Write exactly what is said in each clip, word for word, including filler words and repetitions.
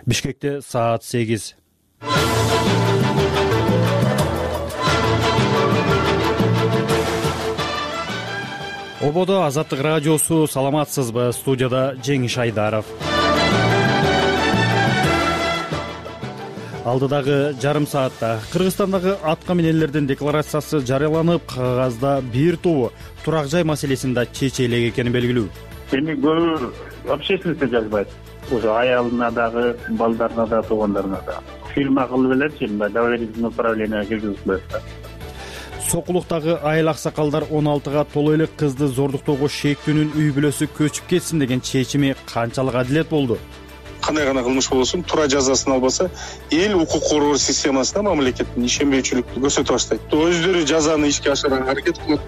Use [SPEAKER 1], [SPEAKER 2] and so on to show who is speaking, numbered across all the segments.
[SPEAKER 1] Бишкекте саат сегиз. Ободо Азаттык радиосу, саламатсызбы? Студияда Жеңиш Айдаров. Алдыдагы жарым саатта Кыргызстандагы атка минелердин декларациясы жарыяланып, кагазда бир тобу турак жай маселесин да чече элек экени белгилүү.
[SPEAKER 2] Эми көбү общественностьте жазбайт. Ошо аялына дагы, балдарына да, туугандарына да. Фильм кылып элечи, мындай доверительное управление киргизип коет да.
[SPEAKER 1] Сокулуктагы айыл аксакалдар он алтыга толо элек кызды зордуктоого шектүүнүн үй бүлөсү көчүп кетсин деген чечими канчалык адилет болду?
[SPEAKER 3] Кандай гана кылмыш болсун, туура жазасын албаса, эл укук коргоо системасына мамлекеттин ишенбөөчүлүктү көрсөтүп баштайт. Өздөрү жазаны ишке ашырууга аракет кылат.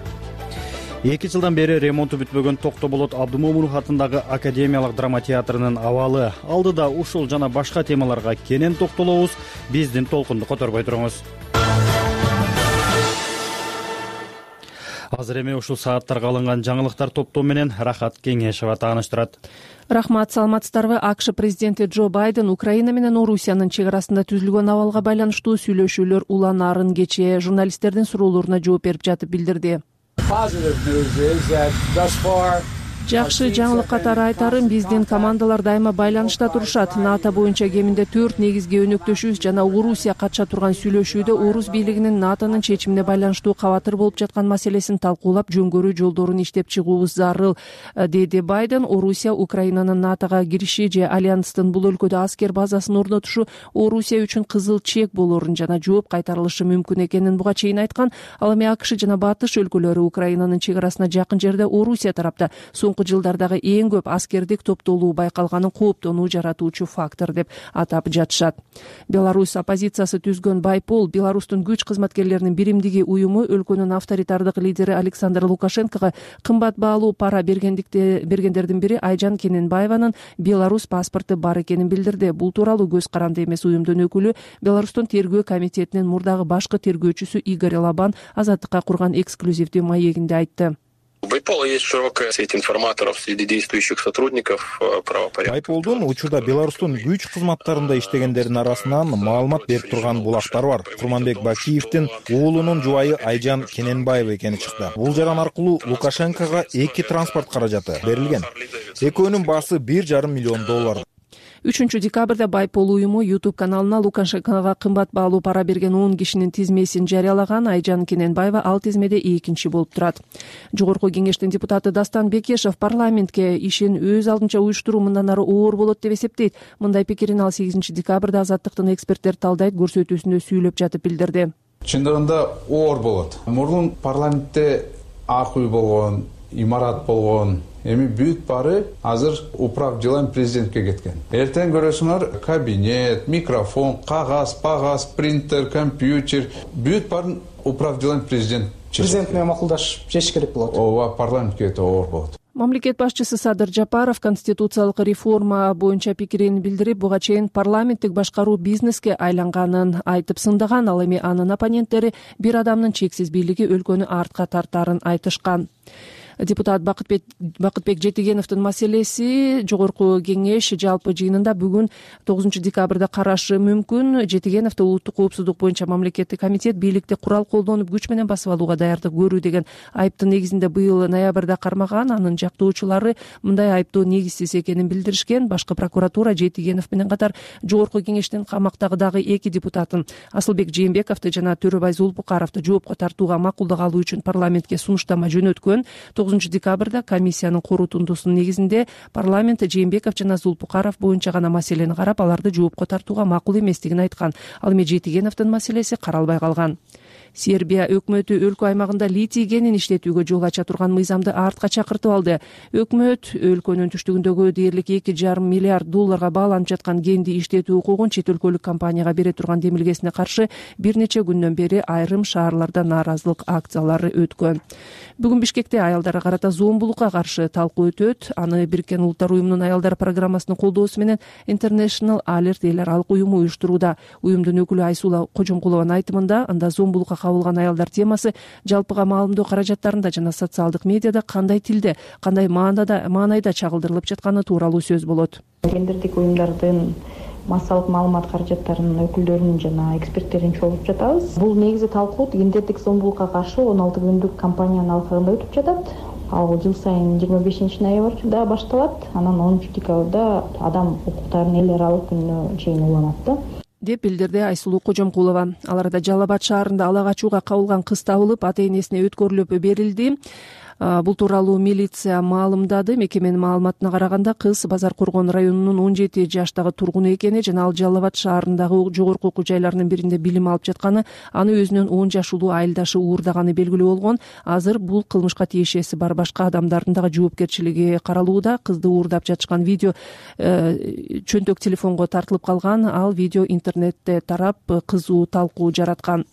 [SPEAKER 1] Эки жылдан бери ремонту бүтпөгөн Токтоболот Абдымомунов атындагы Академиялык драма театрынын абалы. Алдыда ушул жана башка темаларга кенен токтолобуз. Биздин толкунду которбой туруңуз. Азыр эми ушул сааттарга алынган жаңылыктар топтоо менен Рахат Кеңешова тааныштырат.
[SPEAKER 4] Рахмат, саламатсыздарбы? АКШ президенти Джо Байден Украина менен Орусиянын чек арасында түзүлгөн абалга байланыштуу сүйлөшүүлөр уланаарын кечээ журналисттердин суроолоруна жооп берип жатып билдирди. Жакшы жаңылык катары айтарым, биздин командалар дайыма байланышта турушат. НАТО боюнча кеминде төрт негизги өнөктөшүбүз жана Орусия катыша турган сүйлөшүүдө Орус бийлигинин НАТОнун чечимине байланыштуу кабатыр болуп жаткан маселесин талкуулап, жөнгөрүү жолдорун иштеп чыгуубуз зарыл, деди Байден. Орусия Украинанын НАТОга кириши же альянстын бул өлкөдө аскер базасын орнотушу Орусия үчүн кызыл чек болорун жана жооп кайтарылышы мүмкүн экенин буга чейин айткан. Ал эми АКШ жана Батыш өлкөлөрү Украинанын чек арасына жакын жерде Орусия тарапта жылдардагы эң көп аскердик топтолуу байкалганын кооптонуу жаратуучу фактор деп атап жатышат. Беларусь оппозициясы түзгөн Байпол Беларустун күч кызматкерлеринин биримдиги уюму өлкөнүн авторитардык лидери Александр Лукашенкого кымбат баалуу пара бергендердин бири Айжан Кененбаеванын Беларусь паспорту бар экенин билдирди. Бул тууралуу көз каранды эмес уюмдун өкүлү Беларустун тергөө комитетинин мурдагы башкы тергөөчүсү Игорь Лабан Азаттыкка курган эксклюзивдүү маегинде айтты.
[SPEAKER 5] У Байпола есть широкая сеть информаторов среди действующих сотрудников правопорядка.
[SPEAKER 6] Байполдун учурда Беларустун күч кызматтарында иштегендердин арасынан маалымат берип турган булактар бар. Курманбек Бакиевдин уулунун жубайы Айжан Кененбаева экени чыкты. Бул жаран аркылуу Лукашенкого эки транспорт каражаты берилген. Экөөнүн баасы бир жарым миллион доллар.
[SPEAKER 4] үчүнчү декабрда Байпол уюму YouTube каналына Лукашенкого кымбат баалуу пара берген он кишинин тизмесин жарыялаган. Айжан Кененбаева ал тизмеде экинчи болуп турат. Жогорку кеңештин депутаты Дастан Бекешев парламентке ишин өз алдынча уюштуруу мындан ары оор болот деп эсептейт. Мындай пикирин ал сегизинчи декабрда Азаттыктын эксперттер талдайт көрсөтүүсүндө сүйлөп жатып билдирди.
[SPEAKER 7] Чындыгында оор болот. Мурун парламентте ак үй болгон, имарат болгон, эми бүт баары азыр управ делами президентке кеткен. Эртең көрөсүңөр кабинет, микрофон, кагаз, пагаз, принтер, компьютер, бүт баарын управ делами президент.
[SPEAKER 8] Президент менен макулдашып чечиш керек болот.
[SPEAKER 7] Ооба, парламентке оор болот.
[SPEAKER 4] Мамлекет башчысы Садыр Жапаров конституциялык реформа боюнча пикирин билдирип, буга чейин парламенттик башкаруу бизнеске айланганын айтып сындаган. Ал эми анын оппоненттери бир адамдын чексиз бийлиги өлкөнү артка тартаарын айтышкан. Депутат Бакытбек Бакытбек Жетигеновдун маселеси жогорку кеңеш жалпы жыйынында бүгүн тогузунчу декабрда карашы мүмкүн. Жетигеновду улуттук коопсуздук боюнча мамлекеттик комитет бийликти курал колдонуп күч менен басып алууга даярдык көрүү деген айыптын негизинде быйыл ноябрда кармаган. Анын жактоочулары мындай айыптоо негизсиз экенин билдиришкен. Башкы прокуратура Жетигенов менен катар жогорку кеңештин камактагы дагы эки депутатын Асылбек Жээнбековду жана Төрөбай Зулпукаровду жоопко тартууга макулдук алуу үчүн парламентке сунуштама жөнөткөн. тогузунчу декабрда комиссиянын корутундусунун негизинде парламент Жээнбеков жана Зулпукаров боюнча гана маселени карап, аларды жоопко тартууга макул эместигин айткан. Ал эми Жетигеновдун маселеси каралбай калган. Сербия өкмөтү өлкө аймагында литий кенин иштетүүгө жол ача турган мыйзамды артка чакыртып алды. Өкмөт өлкөнүн түштүгүндөгү дээрлик эки жарым миллиард долларга бааланып жаткан кенди иштетүү укугун чет өлкөлүк компанияга бере турган демилгесине каршы бир нече күндөн бери айрым шаарларда нааразылык акциялары өткөн. Бүгүн Бишкекте аялдарга карата зомбулукка каршы талкуу өтөт. Аны Бириккен Улуттар уюмунун аялдар программасынын колдоосу менен International Alert эл аралык уюму уюштурууда. Уюмдун өкүлү Айсула Кожомкулованын айтымында, анда зомбулукка кабылган аялдар темасы жалпыга маалымдоо каражаттарында жана социалдык медиада кандай тилде, кандай маанайда маанайда чагылдырылып жатканы тууралуу сөз болот.
[SPEAKER 9] Гендердик уюмдардын массалык маалымат каражаттарынын өкүлдөрүн жана эксперттерин чогултуп жатабыз. Бул негизи талкуу гендердик зомбулукка каршы он алты күндүк кампаниянын алкагында өтүп жатат. Ал жыл сайын жыйырма бешинчи ноябрда башталат, анан онунчу декабрда адам укуктарынын эл аралык күнүнө чейин уланат да,
[SPEAKER 4] деп билдирди Айсулуу Кожомкулова. Ал арада Жалал Абад шаарында ала качууга кабылган кыз табылып, ата-энесине өткөрүлүп берилди. Бул тууралуу милиция маалымдады. Мекеменин маалыматына караганда кыз Базар Коргон районунун он жети жаштагы тургуну экени жана ал Жалал Абад шаарындагы жогорку окуу жайларынын биринде билим алып жатканы, аны өзүнөн он жаш улуу айылдашы уурдаганы белгилүү болгон. Азыр бул кылмышка тиешеси бар башка адамдардын дагы жоопкерчилиги каралууда. Кызды уурдап жатышкан видео э, чөнтөк телефонго тартылып калган. Ал видео интернетте тарап кызуу талкуу жараткан.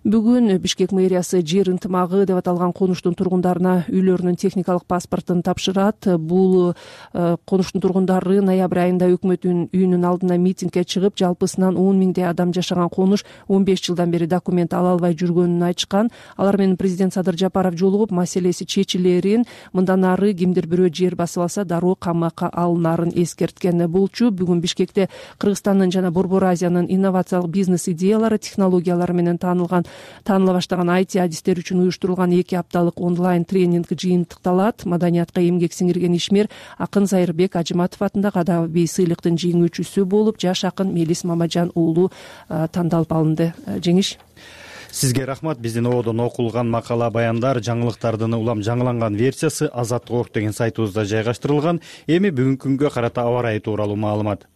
[SPEAKER 4] Бүгүн Бишкек мэриясы жер ынтымагы деп аталган конуштун тургундарына үйлөрүнүн техникалык паспортун тапшырат. Бул конуштун тургундары ноябрь айында өкмөттүн үйүнүн алдына митингге чыгып, жалпысынан он миңдей адам жашаган конуш он беш жылдан бери документ ала албай жүргөнүн айтышкан. Алар менен президент Садыр Жапаров жолугуп, маселеси чечилерин, мындан ары кимдир бирөө жер басып алса дароо камакка алынарын эскерткен болчу. Бүгүн Бишкекте Кыргызстандын жана Борбор Азиянын инновациялык бизнес идеялары, технологиялары менен таанылган тааныла баштаган ай ти адистер үчүн уюштурулган эки апталык онлайн тренинг жыйынтыкталат. Маданиятка эмгек сиңирген ишмер акын Зайырбек Ажыматов атындагы адабий сыйлыктын жеңүүчүсү болуп, жаш акын Мелис Мамажан уулу тандалып алынды. Жеңиш.
[SPEAKER 1] Сизге рахмат. Биздин ободон окулган макала баяндар, жаңылыктардын улам жаңыланган версиясы Азаттык орг деген сайтыбызда жайгаштырылган. Эми бүгүнкү күнгө карата аба ырайы тууралуу маалымат.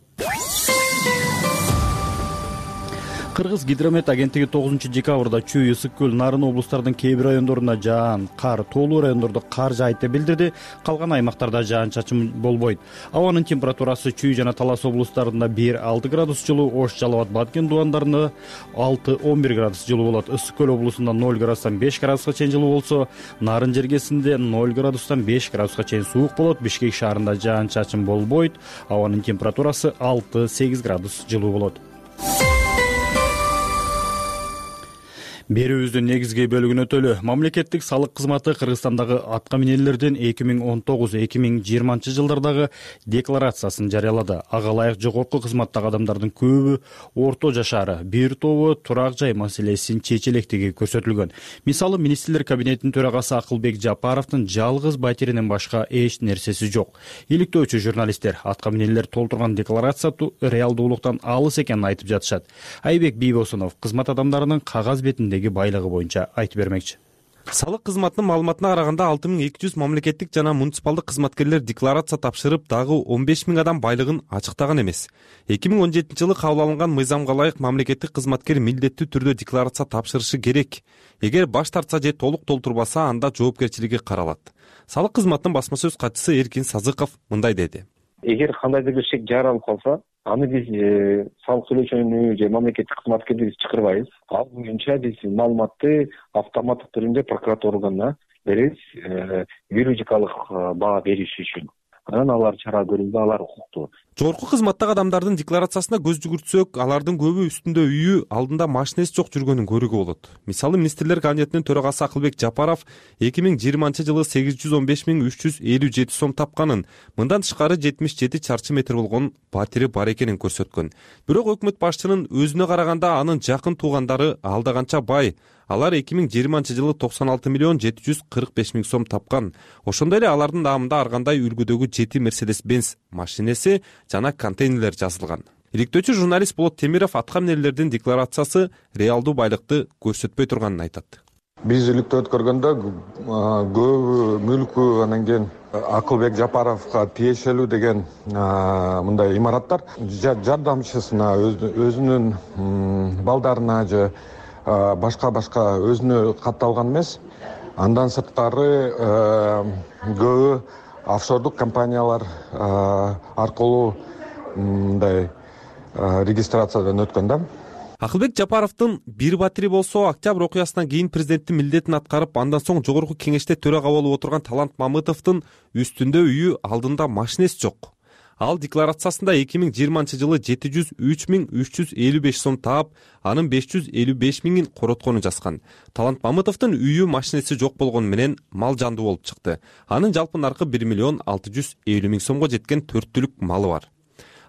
[SPEAKER 1] Кыргыз гидромет агенттиги тогузунчу декабрда Чүй, Ысык көл, Нарын облустарынын кээ бир райондоруна жаан, кар, тоолуу райондордо кар жаайт деп билдирди. Калган аймактарда жаан-чачын болбойт. Абанын температурасы Чүй жана Талас облустарында бир алты градус жылуу, Ош, Жалал Абад, Баткен дубандарында алты он бир градус жылуу болот. Ысык көл облусунда ноль градустан беш градуска чейин жылуу болсо, Нарын жергесинде ноль градустан беш градуска чейин суук болот. Бишкек шаарында жаан-чачын болбойт. Абанын температурасы алты сегиз градус жылуу болот. Берүүбүздүн негизги бөлүгүн өтөлү. Мамлекеттик салык кызматы Кыргызстандагы атка минелердин эки миң он тогуз эки миң жыйырманчы жылдардагы декларациясын жарыялады. Ага ылайык жогорку кызматтагы адамдардын көбү орто жашары, бир тобу турак жай маселесин чечилектиги көрсөтүлгөн. Мисалы, министрлер кабинетинин төрагасы Акылбек Жапаровдун жалгыз батиринен башка эч нерсеси жок. Иликтөөчү журналисттер атка минелер толтурган декларация реалдуулуктан алыс экенин айтып жатышат. Айбек Бийбосунов кызмат адамдарынын кагаз бетинде байлыгы боюнча айтып бермекчи.
[SPEAKER 10] Салык кызматынын маалыматына караганда алты миң эки жүз мамлекеттик жана муниципалдык кызматкерлер декларация тапшырып, дагы он беш миң адам байлыгын ачыктаган эмес. эки миң он жетинчи жылы кабыл алынган мыйзамга ылайык мамлекеттик кызматкер милдеттүү түрдө декларация тапшырышы керек. Эгер баш тартса же толук толтурбаса, анда жоопкерчилиги каралат. Салык кызматынын басма сөз катчысы Эркин Сазыков мындай деди.
[SPEAKER 11] Эгер кандайдыр бир шек жаралып калса, аны биз салык төлөөчүнү же мамлекеттик кызматкерди биз чакырбайбыз. Ал боюнча биз маалыматты автоматтык түрүндө прокуратура органына беребиз, юридикалык баа бериши үчүн. Анан алар чара көрүлдү, алар укуктуу.
[SPEAKER 10] Жогорку кызматтагы адамдардын декларациясына көз жүгүртсөк, алардын көбү үстүндө үйү, алдында машинеси жок жүргөнүн көрүүгө болот. Мисалы, министрлер кабинетинин төрагасы Акылбек Жапаров эки миң жыйырманчы жылы сегиз жүз он беш миң үч жүз элүү жети сом тапканын, мындан тышкары жетимиш жети чарчы метр болгон батири бар экенин көрсөткөн. Бирок өкмөт башчынын өзүнө караганда анын жакын туугандары алда канча бай. Алар эки миң жыйырманчы жылы токсон алты миллион жети жүз кырк беш миң сом тапкан. Ошондой эле алардын наамында ар кандай үлгүдөгү жети Mercedes Benz машинеси жана контейнерлер жазылган. Иликтөөчү журналист Болот Темиров атка минелердин декларациясы реалдуу байлыкты көрсөтпөй турганын айтат.
[SPEAKER 12] Биз иликтөө өткөргөндө көбү мүлкү, анан кийин Акылбек Жапаровго тиешелүү деген мындай имараттар жардамчысына, өзүнүн балдарына же башка башка өзүнө катталган эмес. Андан сырткары көбү офшордук компаниялар аркылуу мындай регистрациядан өткөн да.
[SPEAKER 10] Акылбек Жапаровдун бир батири болсо, октябрь окуясынан кийин президенттин милдетин аткарып, андан соң жогорку кеңеште төрага болуп отурган Талант Мамытовдун үстүндө үйү, алдында машинеси жок. Ал декларациясында эки миң жыйырманчы жылы жети жүз үч миң үч жүз элүү беш сом таап, анын беш жүз элүү беш миңин коротконун жазган. Талант Мамытовдун үйү, машинеси жок болгону менен мал жандуу болуп чыкты. Анын жалпы наркы бир миллион алты жүз элүү миң сомго жеткен төрт түлүк малы бар.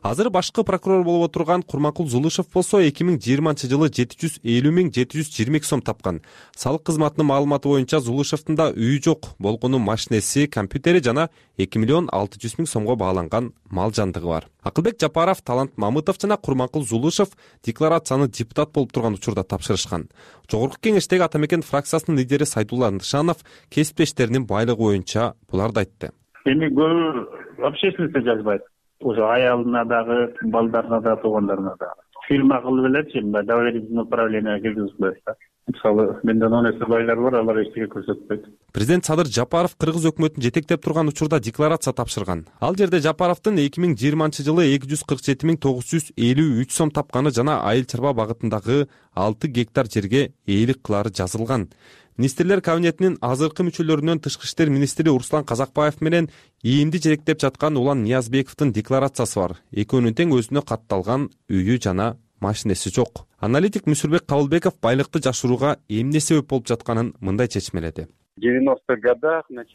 [SPEAKER 10] азыр башкы прокурор болуп отурган Курманкул Зулушев болсо эки миң жыйырманчы жылы жети жүз элүү миң жети жүз жыйырма эки сом тапкан. Салык кызматынын маалыматы боюнча Зулушевдин да үйү жок, болгону машинеси, компьютери жана эки миллион алты жүз миң сомго бааланган мал жандыгы бар. Акылбек Жапаров, Талант Мамытов жана Курманкул Зулушев декларацияны депутат болуп турган учурда тапшырышкан. Жогорку кеңештеги Ата Мекен фракциясынын лидери Сайдулла Андышанов кесиптештеринин байлыгы боюнча буларды айтты.
[SPEAKER 2] Эми көбү общественностьте жазбайт. Уже аялына дагы, балдарына да, туугандарына да. Фирма кылып элечи, мындай доверительное управление киргизип коет да. Мисалы, менден он эсе байлар бар, алар эчтеке көрсөтпөйт.
[SPEAKER 10] Президент Садыр Жапаров кыргыз өкмөтүн жетектеп турган учурда декларация тапшырган. Ал жерде Жапаровдун эки миң жыйырманчы жылы эки жүз кырк жети миң тогуз жүз элүү үч сом тапканы жана айыл чарба багытындагы алты гектар жерге ээлик кылары жазылган. Министрлер кабинетинин азыркы мүчөлөрүнөн тышкы иштер министри Руслан Казакбаев менен ийимди жетектеп жаткан Улан Ниязбековдун декларациясы бар. Экөөнүн тең өзүнө катталган үйү жана машинеси жок. Аналитик Мүсүрбек Кабылбеков байлыкты жашырууга эмне себеп болуп жатканын мындай чечмеледи.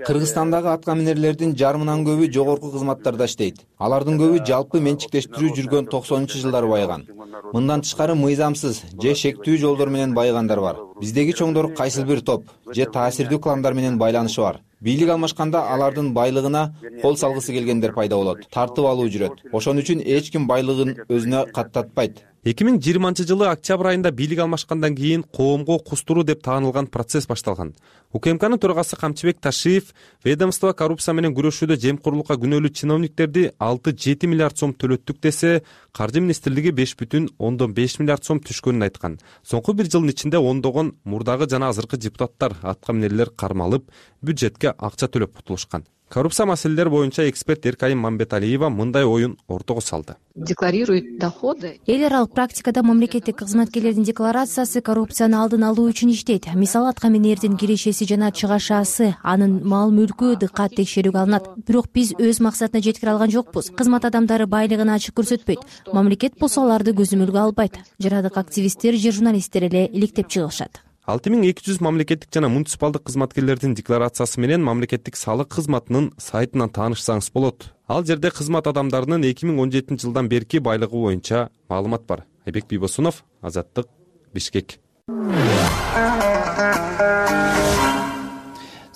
[SPEAKER 13] Кыргызстандагы атка минерлердин жарымынан көбү жогорку кызматтарда иштейт. Алардын көбү жалпы менчиктештирүү жүргөн токсонунчу жылдары байыган. Мындан тышкары мыйзамсыз же шектүү жолдор менен байыгандар бар. Биздеги чоңдор кайсыл бир топ же таасирдүү кландар менен байланышы бар. Бийлик алмашканда алардын байлыгына кол салгысы келгендер пайда болот. Тартып алуу жүрөт. Ошон үчүн эч ким байлыгын өзүнө каттатпайт.
[SPEAKER 10] эки миң жыйырманчы жылы октябрь айында бийлик алмашкандан кийин коомго кустуруу деп таанылган процесс башталган. УКМКнын төрагасы Камчыбек Ташиев ведомство коррупция менен күрөшүүдө жемкорлукка күнөөлүү чиновниктерди алты жети миллиард сом төлөттүк десе, Каржы министрлиги беш бүтүн ондон беш миллиард сом түшкөнүн айткан. Соңку бир жылдын ичинде ондогон мурдагы жана азыркы депутаттар, атка минерлер кармалып, бюджетке акча төлөп кутулушкан. Коррупция маселелери боюнча эксперт Эркайым Мамбеталиева мындай оюн ортого салды.
[SPEAKER 14] Декларирует доходы. Эл аралык практикада мамлекеттик кызматкерлердин декларациясы коррупцияны алдын алуу үчүн иштейт. Мисалы, атка минердин кирешеси жана чыгашасы, анын мал мүлкү дыккат текшерүүгө алынат. Бирок биз өз максатына жеткире алган жокпуз. Кызмат адамдары байлыгын ачык көрсөтпөйт. Мамлекет болсо аларды көзөмөлгө албайт. Жарадык активисттер же журналисттер эле иликтеп чыгышат.
[SPEAKER 10] алты миң эки жүз мамлекеттик жана муниципалдык кызматкерлердин декларациясы менен мамлекеттик салык кызматынын сайтынан таанышсаңыз болот. Ал жерде кызмат адамдарынын эки миң он жетинчи жылдан берки байлыгы боюнча маалымат бар. Айбек Бийбосунов, Азаттык, Бишкек.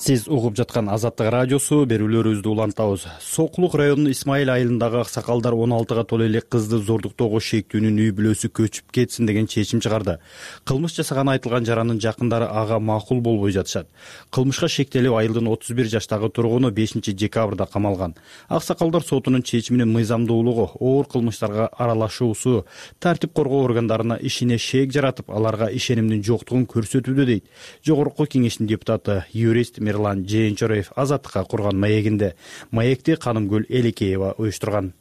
[SPEAKER 1] Сиз угуп жаткан Азаттык радиосу, берүүлөрүбүздү улантабыз. Сокулук районунун Исмаил айылындагы аксакалдар он алтыга толо элек кызды зордуктоого шектүүнүн үй бүлөсү көчүп кетсин деген чечим чыгарды. Кылмыш жасаган айтылган жарандын жакындары ага макул болбой жатышат. Кылмышка шектелип айылдын отуз бир жаштагы тургуну бешинчи декабрда камалган. Аксакалдар сотунун чечиминин мыйзамдуулугу, оор кылмыштарга аралашуусу тартип коргоо органдарына ишине шек жаратып, аларга ишенимдин жоктугун көрсөтүүдө дейт Жогорку кеңештин депутаты, юрист Мирлан Жээнчороев Азаттыкка курган маегинде. Маекти Канымгүл Элекеева уюштурган.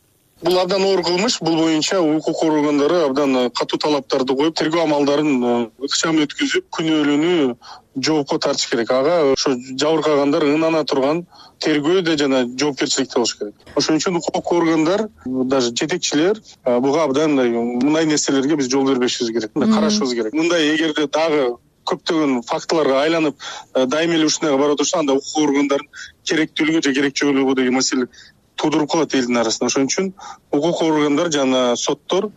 [SPEAKER 3] Бул абдан оор кылмыш. Бул боюнча укук органдары абдан катуу талаптарды коюп, тергөө амалдарын ыкчам өткүзүп, күнөөлүүнү жоопко тартыш керек. Ага ошо жабыркагандар ынана турган тергөөдө жана жоопкерчиликте болуш керек. Ошон үчүн укук органдар, даже жетекчилер буга абдан мындай нерселерге биз жол бербешибиз керек, карашыбыз керек. Мындай эгерде дагы көптөгөн фактыларга айланып дайыма эле ушунайга барып отурса, анда укук органдарын керектүүлүгү же керекчилиги деген маселе туудуруп калат элдин арасында. Ошон үчүн укук органдар жана соттор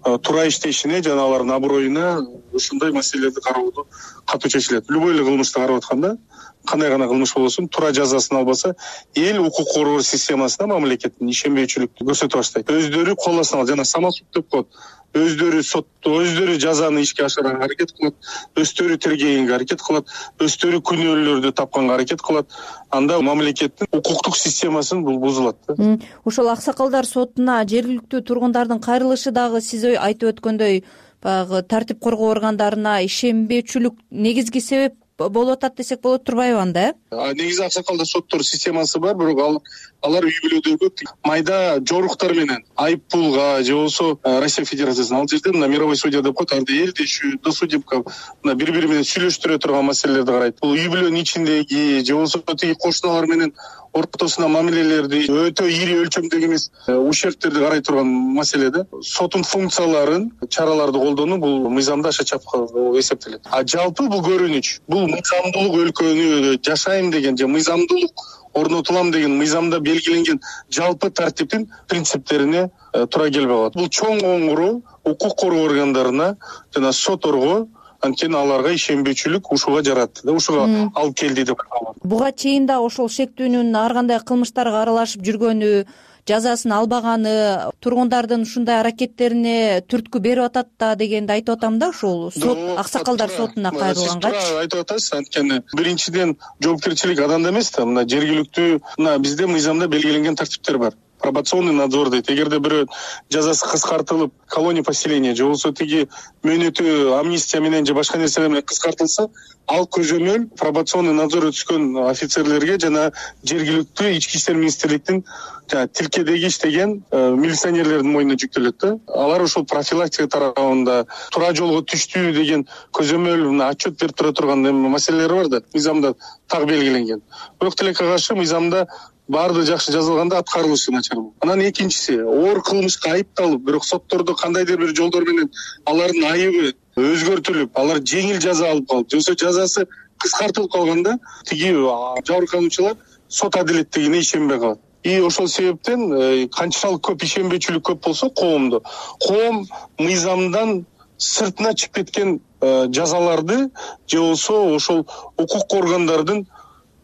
[SPEAKER 3] туура иштешине жана алардын аброюна ушундай маселелерди кароодо катуу чечилет. Любой эле кылмышты карап атканда, кандай гана кылмыш болбосун, туура жазасын албаса, эл укук коргоо системасына мамлекеттин ишенбейчүлүктү көрсөтө баштайт. Өздөрү колдосуна жана самосуд деп коет. Өздөрү сотто, өздөрү жазаны ишке ашырганга аракет кылат, өздөрү тергегенге аракет кылат, өздөрү күнөөлөрдү тапканга аракет кылат. Анда мамлекеттин укуктук системасын бул бузулат да.
[SPEAKER 14] Ошол аксакалдар сотуна жергиликтүү тургундардын кайрылышы дагы сиз айтып өткөндөй, баягы тартип коргоо органдарына ишенбөөчүлүк негизги себеп болуп атат десек болот турбайбы анда?
[SPEAKER 3] Негизи аксакалдар соттор системасы бар, бирок ал алар үй бүлөдөгү майда жоруктар менен айып пулга же болбосо Россия Федерациясына, ал жерде мына мировой судья деп коет, арды элдешүү, досудебка мына бири бири менен сүйлөштүрө турган маселелерди карайт. Бул үй бүлөнүн ичиндеги же болбосо тиги кошуналар менен ортосуна мамилелерди өтө ири өлчөмдөгү эмес ущербтерди карай турган маселе да. Соттун функцияларын, чараларды колдонуу бул мыйзамда аша чапкы эсептелет. А жалпы бул көрүнүч, бул мыйзамдуулук өлкөнү жашайм деген же мыйзамдуулук орнотулам деген мыйзамда белгиленген жалпы тартиптин принциптерине туура келбей калат. Бул чоң коңгуроо укук коргоо органдарына жана сотторго, анткени аларга ишенбөөчүлүк ушуга жаратты да, ушуга алып келди деп аталат.
[SPEAKER 15] Буга чейин да ошол шектүүнүн ар кандай кылмыштарга аралашып жүргөнү, жазасын албаганы, тургундардын ушундай аракеттерине түрткү берип атат да дегенди айтып атам да, ушул сот аксакалдар сотуна кайрылгангачы.
[SPEAKER 3] Сиз туура айтып атасыз, анткени биринчиден жоопкерчилик аданда эмес да, мына жергиликтүү, мына бизде мыйзамда белгиленген тартиптер бар. Пробационный надзор дейт. Эгерде бирөө жазасы кыскартылып, колония поселения же болбосо тиги мөөнөтү амнистия менен же башка нерселер менен кыскартылса, ал көзөмөл пробационный надзор өткөн офицерлерге жана жергиликтүү ички иштер министрликтин тилкедеги иштеген милиционерлердин мойнуна жүктөлөт да. Алар ошол профилактика тарабында туура жолго түштү деген көзөмөл мына отчет берип тура турган маселелер бар да, мыйзамда так белгиленген. Бирок тилекке каршы мыйзамда баардыгы жакшы жазылганда аткарылышы начар. Анан экинчиси, оор кылмышка айыпталып, бирок соттордо кандайдыр бир жолдор менен алардын айыбы өзгөртүлүп, алар жеңил жаза алып калып, же болбосо жазасы кыскартылып калганда, тиги жабыркануучулар сот адилеттигине ишенбей калат. И ошол себептен канчалык көп ишенбөөчүлүк көп болсо коомдо, коом мыйзамдан сыртына чыгып кеткен жазаларды же болбосо ошол укук органдардын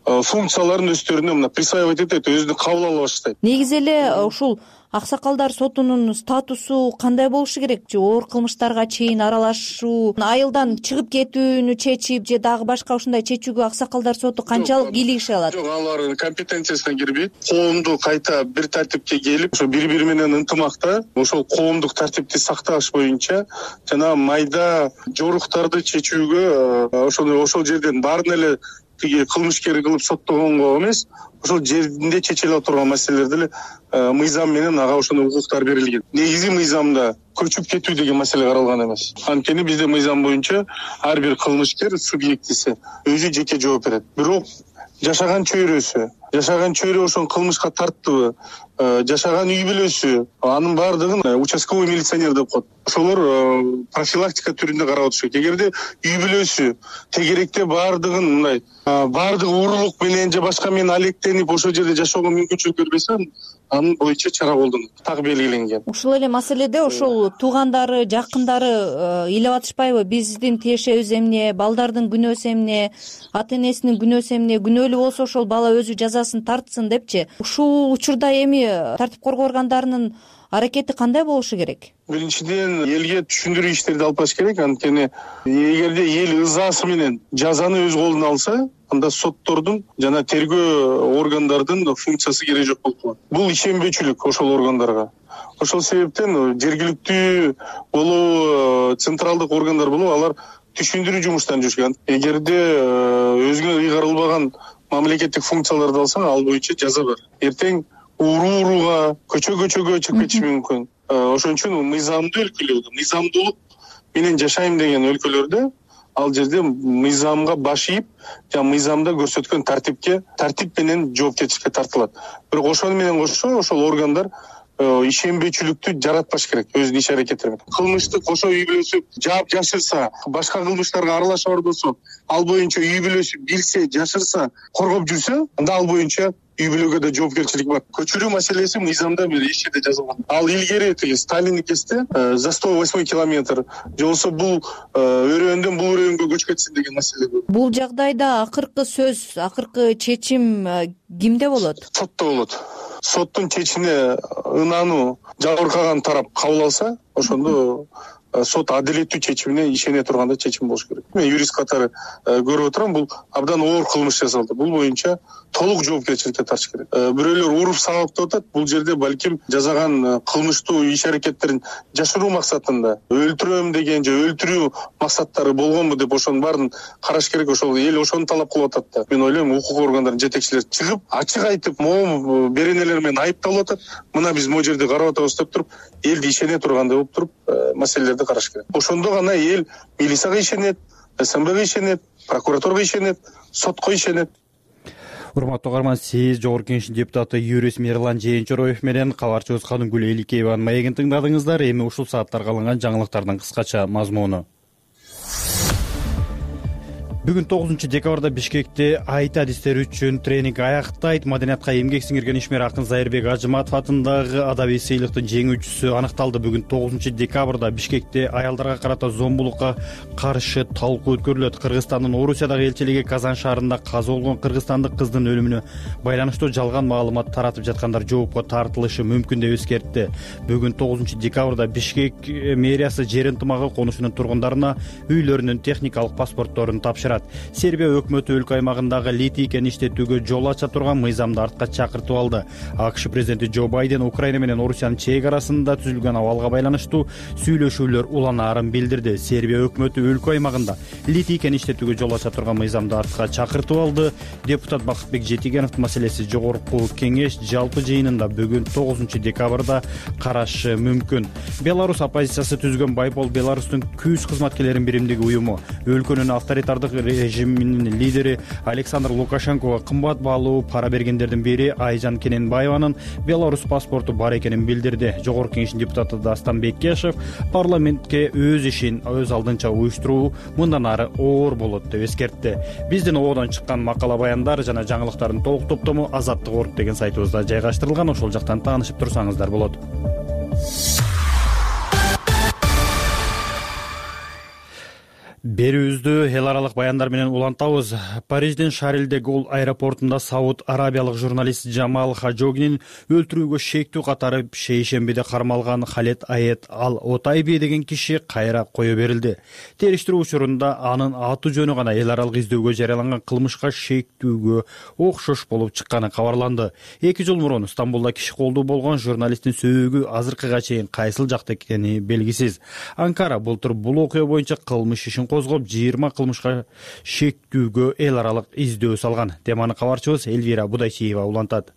[SPEAKER 3] функцияларын өздөрүнө мына присваивать этет, өзүнө кабыл ала баштайт.
[SPEAKER 15] Негизи эле ушул аксакалдар сотунун статусу кандай болушу керек? Же оор кылмыштарга чейин аралашуу, айылдан чыгып кетүүнү чечип же дагы башка ушундай чечүүгө аксакалдар соту канчалык кийлигише алат?
[SPEAKER 3] Жок, алардын компетенциясына кирбейт. Коомду кайта бир тартипке келип, ошо бири-бири менен ынтымакта ошол коомдук тартипти сакташ боюнча жана майда жоруктарды чечүүгө ошол ошол жерден баарын эле тиги кылмышкер кылып соттогонго эмес, ошол жеринде чечиле турган маселелерди эле мыйзам менен ага ошондой укуктар берилген. Негизи мыйзамда көчүп кетүү деген маселе каралган эмес. Анткени бизде мыйзам боюнча ар бир кылмышкер субъектиси өзү жеке жооп берет. Бирок жашаган чөйрөсү, жашаган чөйрө ошол кылмышка тарттыбы, жашаган үй бүлөсү, анын баардыгын участковый милиционер деп коет. Ошолор профилактика түрүндө карап отуш керек. Эгерде үй бүлөсү тегеректе баардыгын мындай баардыгы уурулук менен же башка менен алектенип ошол жерде жашоого мүмкүнчүлүк бербесе, анын боюнча чара колдонот. Так белгиленген.
[SPEAKER 15] Ушул эле маселеде ошол туугандары, жакындары ыйлап атышпайбы? Биздин тиешебиз эмне, балдардын күнөөсү эмне, ата энесинин күнөөсү эмне, күнөөлүү болсо ошол бала өзү жазасын тартсын депчи. Ушул учурда эми тартип коргоо органдарынын аракети кандай болушу керек?
[SPEAKER 3] Биринчиден, элге түшүндүрүү иштерди алып барыш керек. Анткени эгерде эл ызасы менен жазаны өз колуна алса, анда соттордун жана тергөө органдардын функциясы керек жок болуп калат. Бул ишенбөөчүлүк ошол органдарга. Ошол себептен жергиликтүү болобу, централдык органдар болобу, алар түшүндүрүү жумуштарын жүргүзгөн. Эгерде өзүнө ыйгарылбаган мамлекеттик функцияларды алсаң, ал боюнча жаза бар. Эртең уруу-урууга, көчө-көчөгө чыгып кетиши мүмкүн. Ошон үчүн мыйзамдуу өлкөлөрдө, мыйзамдуулук менен жашайм деген өлкөлөрдө ал жерде мыйзамга баш ийип, жана мыйзамда көрсөткөн тартипке, тартип менен жоопкерчиликке тартылат. Бирок ошону менен кошо ошол органдар ишенбөөчүлүктү жаратпаш керек өзүнүн иш аракеттери менен. Кылмышты кошо үй бүлөсү жаап жашырса, башка кылмыштарга аралаша бар болсо, ал боюнча үй бүлөсү билсе, жашырса, коргоп жүрсө, анда ал боюнча үй бүлөгө да жоопкерчилик бар. Көчүрүү маселеси мыйзамда бир эч жерде жазылган. Ал илгери тиги Сталингесте за сто восьмой километр, же болбосо бул өрөөндөн бул өрөөнгө көчүп кетсин деген маселе бар.
[SPEAKER 15] Бул жагдайда акыркы сөз, акыркы чечим кимде болот?
[SPEAKER 3] Сотто болот. Соттун чечимине ынануу жабыркаган тарап кабыл алса, ошондо сот адилеттүү чечимине ишене турганда чечим болуш керек. Мен юрист катары көрүп отурам, бул абдан оор кылмыш жасалды. Бул боюнча толук жоопкерчиликке тартыш керек. Бирөөлөр уруп сабап деп атат, бул жерде балким жасаган кылмыштуу иш аракеттерин жашыруу максатында өлтүрөм деген же өлтүрүү максаттары болгонбу деп ошонун баарын караш керек. Ошол эл ошону талап кылып атат да. Мен ойлойм, укук органдарынын жетекчилери чыгып, ачык айтып, могу беренелер менен айыпталып атат. Мына биз могу жерде карап атабыз деп туруп, элди ишене тургандай болуп туруп, маселелерди караш керек. Ошондо гана эл милицияга ишенет, СМБга ишенет, прокуратурага ишенет, сотко ишенет.
[SPEAKER 1] Урматтуу угарман, сиз Жогорку Кеңештин депутаты юрист Мирлан Жээнчороев менен кабарчыбыз Каныгүл Эликееванын маегин тыңдадыңыздар. Эми ушул сааттарга алынган жаңылыктардын кыскача мазмуну. Бүгүн тогузунчу декабрда Бишкекте айт адистери үчүн тренинг аяктайт. Маданиятка эмгек сиңирген ишмер акын Зайырбек Ажыматов атындагы адабий сыйлыктын жеңүүчүсү аныкталды. Бүгүн тогузунчу декабрда Бишкекте аялдарга карата зомбулукка каршы талкуу өткөрүлөт. Кыргызстандын Орусиядагы элчилиги Казан шаарында каза болгон кыргызстандык кыздын өлүмүнө байланыштуу жалган маалымат таратып жаткандар жоопко тартылышы мүмкүн деп эскертти. Бүгүн тогузунчу декабрда Бишкек мэриясы жер ынтымагы конушунун тургундарына үйлөрүнүн техникалык паспортторун тапшырды. Сербия өкмөтү өлкө аймагындагы литий кен иштетүүгө жол ача турган мыйзамды артка чакыртып алды. АКШ президенти Джо Байден Украина менен Орусиянын чек арасында түзүлгөн абалга байланыштуу сүйлөшүүлөр уланаарын билдирди. Сербия өкмөтү өлкө аймагында литий кен иштетүүгө жол ача турган мыйзамды артка чакыртып алды. Депутат Бакытбек Жетигеновдун маселеси жогорку кеңеш жалпы жыйынында бүгүн тогузунчу декабрда карашы мүмкүн. Беларусь оппозициясы түзгөн Байпол Беларустун күз кызматкерлерин биримдиги уюму өлкөнүн авторитардык режиминин лидери Александр Лукашенкого кымбат баалуу пара бергендердин бири Айжан Кененбаеванын Беларусь паспорту бар экенин билдирди. Жогорку кеңештин депутаты Дастан Беккешев парламентке өз ишин өз алдынча уюштуруу мындан ары оор болот деп эскертти. Биздин ободон чыккан макала баяндар жана жаңылыктардын толук топтому Азаттык орг деген сайтыбызда жайгаштырылган. Ошол жактан таанышып турсаңыздар болот. Берүүбүздү эл аралык баяндар менен улантабыз. Париждин Шарль де Голль аэропортунда Сауд Арабиялык журналист Жамал Хажогинин өлтүрүүгө шектүү катары шейшембиде кармалган Халет Аед Ал Отайби деген киши кайра кое берилди. Териштирүү учурунда анын аты жөнү гана эл аралык издөөгө жарыяланган кылмышка шектүүгө окшош болуп чыкканы кабарланды. эки жыл мурун Стамбулда киши колдуу болгон журналисттин сөөгү азыркыга чейин кайсыл жакта экени белгисиз. Анкара былтыр бул окуя боюнча кылмыш ишин козгоп жыйырма кылмышка шектүүгө эл аралык издөө салган. Теманы кабарчыбыз Элвира Будайчиева улантат.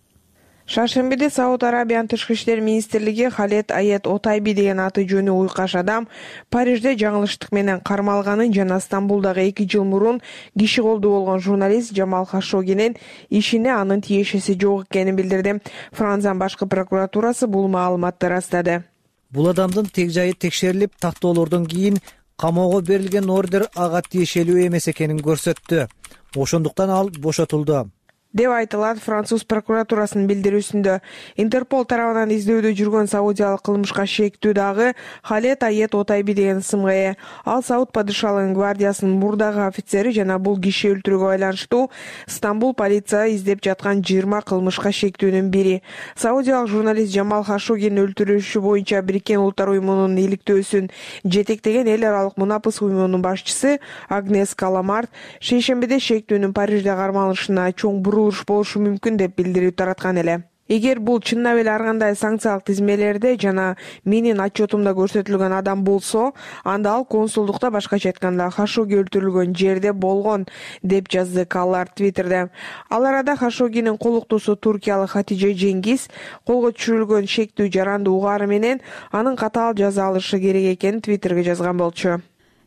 [SPEAKER 16] Шаршембиде Сауд Арабиянын тышкы иштер министрлиги Халет Аед Отайби деген аты жөнү уйкаш адам Парижде жаңылыштык менен кармалганын жана Стамбулдагы эки жыл мурун киши колдуу болгон журналист Жамал Хашогинин ишине анын тиешеси жок экенин билдирди. Франциянын башкы прокуратурасы бул маалыматты ырастады.
[SPEAKER 17] Бул адамдын тег жайы текшерилип, тактоолордон кийин камоого берилген ордер ага тиешелүү эмес экенин көрсөттү. Ошондуктан ал бошотулду
[SPEAKER 16] деп айтылат француз прокуратурасынын билдирүүсүндө. Интерпол тарабынан издөөдө жүргөн саудиялык кылмышка шектүү дагы Халет Аед Отайби деген ысымга ээ. Ал Сауд падышалыгынын гвардиясынын мурдагы офицери жана бул киши өлтүрүүгө байланыштуу Стамбул полиция издеп жаткан жыйырма кылмышка шектүүнүн бири. Саудиялык журналист Жамал Хашогинин өлтүрүлүшү боюнча Бириккен Улуттар уюмунун иликтөөсүн жетектеген эл аралык мунапыс уюмунун башчысы Агнес Каламарт шейшембиде шектүүнүн Парижде кармалышына чоң буруу болушу мүмкүн деп билдирүү тараткан эле. Эгер бул чыннап эле ар кандай санкциялык тизмелерде жана менин отчетумда көрсөтүлгөн адам болсо, анда ал консулдукта, башкача айтканда Хашоги өлтүрүлгөн жерде болгон, деп жазды Каллар Твиттерде. Ал арада Хашогинин колуктуусу туркиялык Хатиже Жеңгиз колго түшүрүлгөн шектүү жаранды угаары менен анын катаал жаза алышы керек экенин Твиттерге жазган болчу.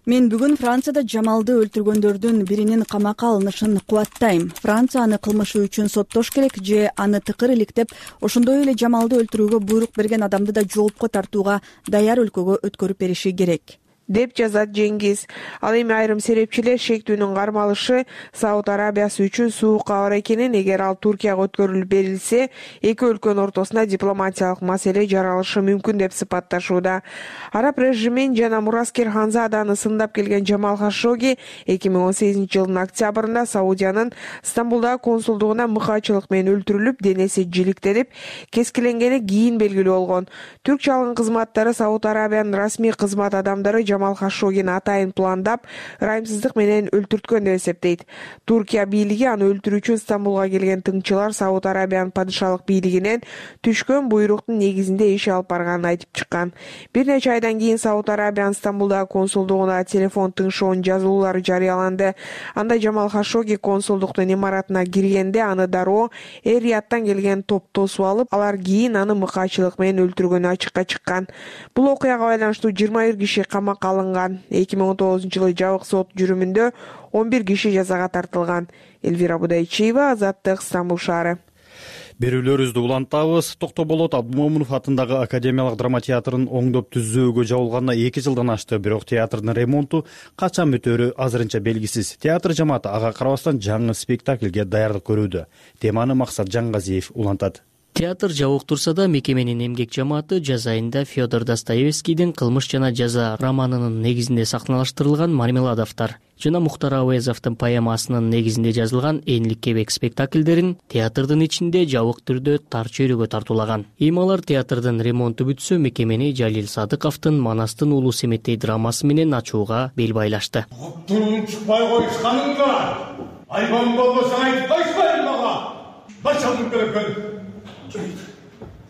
[SPEAKER 18] Мен бүгүн Францияда Жамалды өлтүргөндөрдүн биринин камакка алынышын кубаттайм. Франция аны кылмышы үчүн соттош керек же аны тыкыр иликтеп, ошондой эле Жамалды өлтүрүүгө буйрук берген адамды да жоопко тартууга даяр өлкөгө өткөрүп бериши керек,
[SPEAKER 16] деп жазат Жеңгиз. Ал эми айрым серепчилер шектүүнүн кармалышы Сауд Арабиясы үчүн суук кабар экенин, эгер ал Туркияга өткөрүлүп берилсе, эки өлкөнүн ортосуна дипломатиялык маселе жаралышы мүмкүн деп сыпатташууда. Араб режимин жана мураскер Ханзаданы сындап келген Жамал Хашоги эки миң он сегизинчи жылдын октябрында Саудиянын Стамбулдагы консулдугуна мыкаачылык менен өлтүрүлүп, денеси жиликтелип, кескиленгени кийин белгилүү болгон. Түрк жалгын кызматтары Сауд Арабиянын расмий кызмат адамдары Жамал Хашогини атайын пландап, ырайымсыздык менен өлтүрткөн деп эсептейт. Туркия бийлиги аны өлтүрүү үчүн Стамбулга келген тыңчылар Сауд Арабиянын падышалык бийлигинен түшкөн буйруктун негизинде иш алып барганын айтып чыккан. Бир нече айдан кийин Сауд Арабиянын Стамбулдагы консулдугуна телефон тыңшоонун жазуулары жарыяланды. Анда Жамал Хашоги консулдуктун имаратына киргенде аны дароо Эр-Рияттан келген топ тосуп алып, алар кийин аны мыкаачылык менен өлтүргөнү ачыкка чыккан. Бул окуяга байланыштуу жыйырма бир киши камакка алынган. эки миң он тогузунчу жылы жабык сот жүрүмүндө он бир киши жазага тартылган. Элвира Будайчиева, Азаттык, Стамбул шаары.
[SPEAKER 1] берүүлөрүбүздү улантабыз. Токтоболот Абдымомунов атындагы Академиялык драма театрын оңдоп түзүүгө жабылганына эки жылдан ашты, бирок театрдын ремонту качан бүтөөрү азырынча белгисиз. Театр жамааты ага карабастан жаңы спектакльге даярдык көрүүдө. Теманы Максат Жаңгазиев улантат.
[SPEAKER 19] Театр жабык турса да, мекеменин эмгек жамааты жаз айында Федор Достоевскийдин «Кылмыш жана жаза» романынын негизинде сахналаштырылган «Мармеладовтар» жана Мухтар Ауезовдун поэмасынын негизинде жазылган «Энлик кебек» спектакльдерин театрдын ичинде жабык түрдө тар чөйрөгө тартуулаган. Эми алар театрдын ремонту бүтсө, мекемени Жалил Садыковдун «Манастын улуу Семетей» драмасы менен ачууга бел байлашты.
[SPEAKER 20] Туруп чыкпай коюшканыңда, айбан болбосоң айтып койшпайм мага. Бачалдын керек.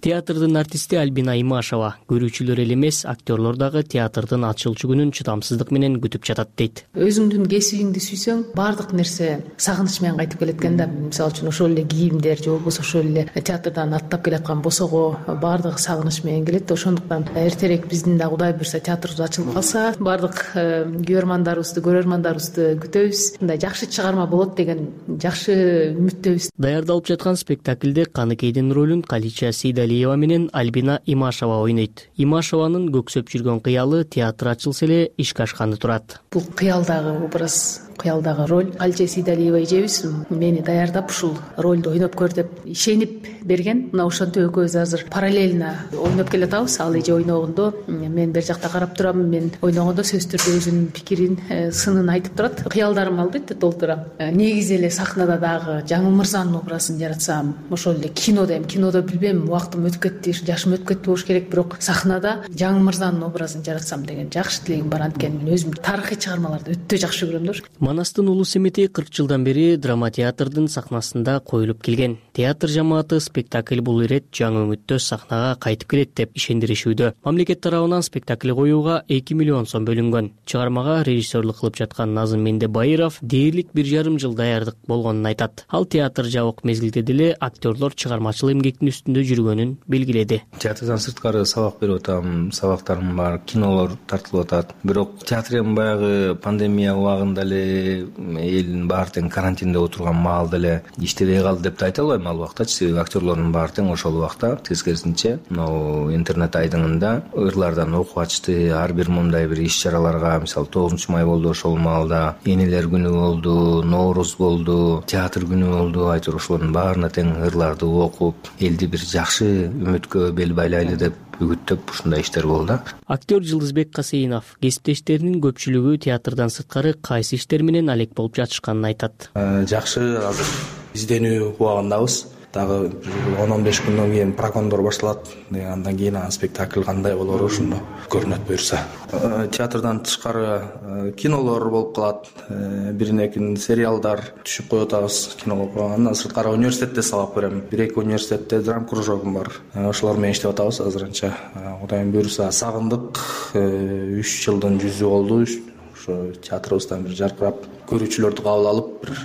[SPEAKER 19] Театрдын артисти Альбина Имашева көрүүчүлөр эле эмес, актерлор дагы театрдын ачылчу күнүн чыдамсыздык менен күтүп жатат дейт.
[SPEAKER 21] Өзүңдүн кесибиңди сүйсөң, баардык нерсе сагыныч менен кайтып келет экен да. Мисалы үчүн ошол эле кийимдер же болбосо ошол эле театрдан аттап келаткан босого баардыгы сагыныч менен келет. Ошондуктан эртерээк биздин да Кудай буйрса театрыбыз ачылып калса, баардык көрөрмандарыбызды, көрөрмандарыбызды күтөбүз. Мындай жакшы чыгарма болот деген жакшы үмүттөбүз.
[SPEAKER 19] Даярдалып жаткан спектакльде Каныкейдин ролун Калича Сейдалиева менен Альбина Имашева ойнойт. Имашеванын көксөп жүргөн кыялы театр ачылса эле ишке ашканы турат.
[SPEAKER 21] Бул кыялдагы образ, кыялдагы роль. Калича Сейдалиева эжебиз мени даярдап ушул ролду ойноп көр деп ишенип берген. Мына ошентип экөөбүз азыр параллельно ойноп келатабыз. Ал эже ойногондо мен бер жакта карап турам, мен ойногондо сөзсүз түрдө өзүнүн пикирин, сынын айтып турат. Кыялдарым албетте толтурам. Негизи эле сахнада дагы Жаңыл Мырзанын образын жаратсам, ошол эле кинодо эми кинодо билбейм, убактым өтүп кетти, жашым өтүп кетти болуш керек, бирок сахнада Жаңыл Мырзанын образын жаратсам деген жакшы тилегим бар. Анткени мен өзүм тарыхый чыгармаларды өтө жакшы көрөм да.
[SPEAKER 19] Манастын улуу Семетей кырк жылдан бери драма театрдын сахнасында коюлуп келген. Театр жамааты спектакль бул ирет жаңы үмүттө сахнага кайтып келет деп ишендиришүүдө. Мамлекет тарабынан спектакль коюуга эки миллион сом бөлүнгөн. Чыгармага режиссерлук кылып жаткан Назым Мендебайыров дээрлик бир жарым жыл даярдык болгонун айтат. Ал театр жабык мезгилде деле актерлор чыгармачыл эмгектин үстүндө жүргөнүн белгиледи.
[SPEAKER 22] Театрдан сырткары сабак берип атам, сабактарым бар, кинолор тартылып атат. Бирок театр эми баягы пандемия убагында эле элдин баары тең карантинде отурган маалда эле иштебей калды деп да айта албайм ал убактачы. Себеби актерлордун баары тең ошол убакта тескерисинче могу интернет айдыңында ырлардан окуп ачты. Ар бир мындай бир иш чараларга, мисалы тогузунчу май болду, ошол маалда энелер күнү болду, Нооруз болду, театр күнү болду. Айтор ошолордун баарына тең ырларды окуп, элди бир жакшы үмүткө бел байлайлы деп үгүттөп ушундай иштер болду.
[SPEAKER 19] Актер Жылдызбек Касейинов кесиптештеринин көпчүлүгү театрдан сырткары кайсы иштер менен алек болуп жатышканын айтат.
[SPEAKER 23] Жакшы, азыр изденүү убагындабыз. Дагы он он беш күндөн кийин прокондор башталат. Андан кийин спектакль кандай болор ошондо көрүнөт буюрса. Театрдан тышкары кинолор болуп калат. Бирине экин сериалдар түшүп коюп атабыз кинолорго. Андан сырткары университетте сабак берем. Бир эки университетте драм кружогум бар. Ошолор менен иштеп атабыз азырынча. Кудайым буюрса сагындык. үч жылдын жүзү болду. Ошо театрыбыздан бир жаркырап көрүүчүлөрдү кабыл алып, бир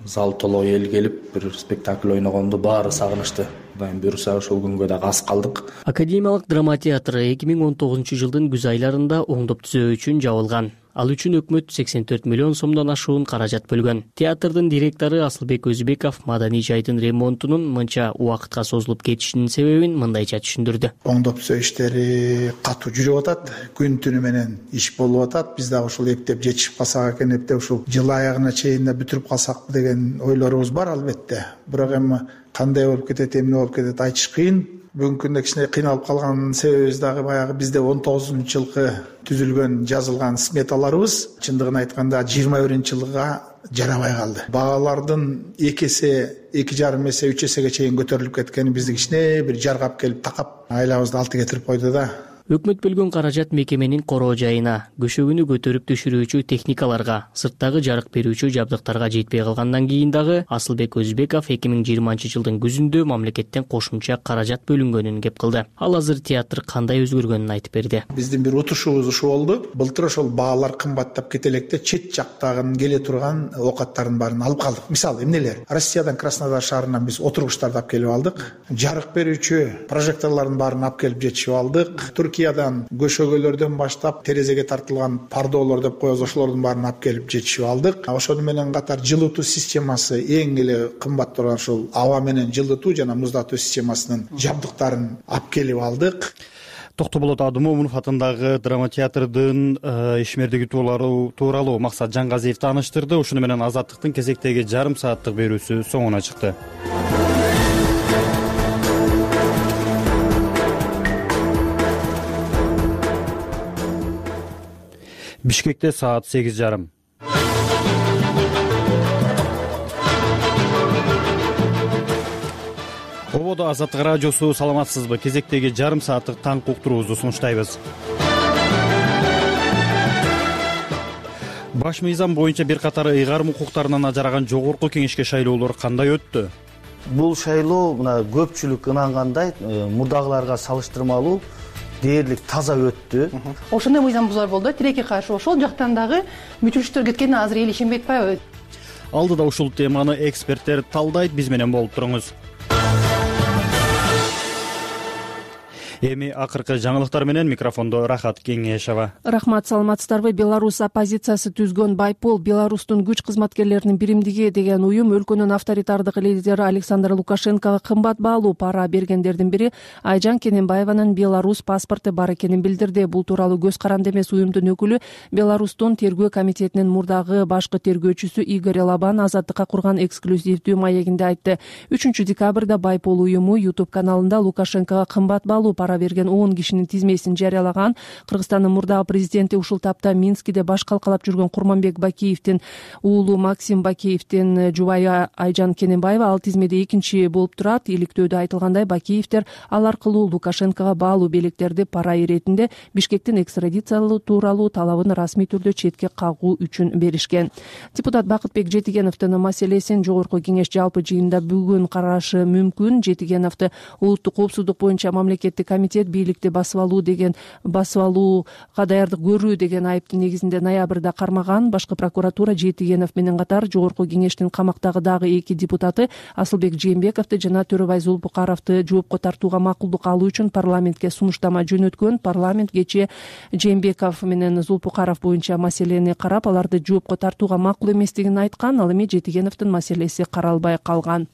[SPEAKER 23] зал толо эл келип бир спектакль ойногонду баары сагынышты. Кудайым буюрса ошол күнгө да аз калдык.
[SPEAKER 19] Академиялык драма театры эки миң он тогузунчу жылдын күз айларында оңдоп түзөө үчүн жабылган. Ал үчүн өкмөт сексен төрт миллион сомдон ашуун каражат бөлгөн. Театрдын директору Асылбек Өзүбеков маданий жайдын ремонтунун мынча убакытка созулуп кетишинин себебин мындайча түшүндүрдү.
[SPEAKER 24] Оңдоп түзөө иштери катуу жүрүп атат, күн түнү менен иш болуп атат. Биз дагы ушул эптеп жетишип калсак экен, эптеп ушул жыл аягына чейин бүтүрүп калсакпы деген ойлорубуз бар албетте. Бирок эми кандай болуп кетет, эмне болуп кетет айтыш кыйын. Бүгүнкү күндө кичине кыйналып калган себебибиз дагы баягы бизде он тогузунчу жылкы түзүлгөн, жазылган сметаларыбыз чындыгын айтканда жыйырма биринчи жылга жарабай калды. Баалардын эки эсе, эки жарым эсе, үч эсеге чейин көтөрүлүп кеткени бизди кичине бир жаргап келип такап айлабызды алты кетирип койду да.
[SPEAKER 19] Өкмөт бөлгөн каражат мекеменин короо жайына, көшөгүнү көтөрүп түшүрүүчү техникаларга, сырттагы жарык берүүчү жабдыктарга жетпей калгандан кийин дагы Асылбек Өзүбеков эки миң жыйырманчы жылдын күзүндө мамлекеттен кошумча каражат бөлүнгөнүн кеп кылды. Ал азыр театр кандай өзгөргөнүн айтып берди.
[SPEAKER 24] Биздин бир утушубуз ушул болду. Былтыр ошол баалар кымбаттап кете электе чет жактагын келе турган оокаттардын баарын алып калдык. Мисалы эмнелер? Россиядан Краснодар шаарынан биз отургучтарды алып келип алдык. Жарык берүүчү прожекторлордун баарын алып келип жетишип алдык. икеадан көшөгөлөрдөн баштап терезеге тартылган пардолор деп коебуз, ошолордун баарын алып келип жетишип алдык. Ошону менен катар жылытуу системасы эң эле кымбат турган ушул аба менен жылытуу жана муздатуу системасынын жабдыктарын алып келип алдык.
[SPEAKER 1] Токтоболот Абдымомунов атындагы драма театрдын ишмердиги тууралуу Максат Жангазиев тааныштырды. Ушуну менен Азаттыктын кезектеги жарым сааттык берүүсү соңуна чыкты. Бишкекте саат сегиз жарым. Ободо Азаттык радиосу, саламатсызбы? Кезектеги жарым сааттык таңкы уктуруубузду сунуштайбыз. Баш мыйзам боюнча бир катар ыйгарым укуктарынан ажыраган жогорку кеңешке шайлоолор кандай өттү?
[SPEAKER 5] Бул шайлоо мына көпчүлүк ынангандай мурдагыларга салыштырмалуу дээрлик таза өттү.
[SPEAKER 6] Ошондой мыйзам бузуулар болду. Тилекке каршы ошол жактан дагы мүчүлүштөр кеткенине азыр эл ишенбей атпайбы?
[SPEAKER 1] Алдыда ушул теманы эксперттер талдайт, биз менен болуп туруңуз. Эми акыркы жаңылыктар менен микрофондо Рахат Кеңешова.
[SPEAKER 4] Рахмат, саламатсыздарбы? Беларусь оппозициясы түзгөн Байпол Беларустун күч кызматкерлеринин биримдиги деген уюм өлкөнүн авторитардык лидери Александр Лукашенкого кымбат баалуу пара бергендердин бири Айжан Кененбаеванын Беларусь паспорту бар экенин билдирди. Бул тууралуу көз каранды эмес уюмдун өкүлү Беларустун тергөө комитетинин мурдагы башкы тергөөчүсү Игорь Лабан Азаттыкка курган эксклюзивдүү маегинде айтты. үчүнчү декабрда Байпол уюму YouTube каналында Лукашенкого кымбат баалуу пара берген он кишинин тизмесин жарыялаган. Кыргызстандын мурдагы президенти ушул тапта Минскиде баш калкалап жүргөн Курманбек Бакиевдин уулу Максим Бакиевдин жубайы Айжан Кененбаева ал тизмеде экинчи болуп турат. Иликтөөдө айтылгандай, Бакиевдер ал аркылуу Лукашенкого баалуу белектерди пара иретинде Бишкектин экстрадициялоо тууралуу талабын расмий түрдө четке кагуу үчүн беришкен. Депутат Бакытбек Жетигеновдун маселесин жогорку кеңеш жалпы жыйынында бүгүн карашы мүмкүн. Жетигеновду улуттук коопсуздук боюнча мамлекеттик комитет бийликти басып алуу деген басып алууга даярдык көрүү деген айыптын негизинде ноябрда кармаган. Башкы прокуратура Жетигенов менен катар жогорку кеңештин камактагы дагы эки депутаты Асылбек Жээнбековду жана Төрөбай Зулпукаровду жоопко тартууга макулдук алуу үчүн парламентке сунуштама жөнөткөн. Парламент кечээ Жээнбеков менен Зулпукаров боюнча маселени карап, аларды жоопко тартууга макул эместигин айткан. Ал эми Жетигеновдун маселеси каралбай калган.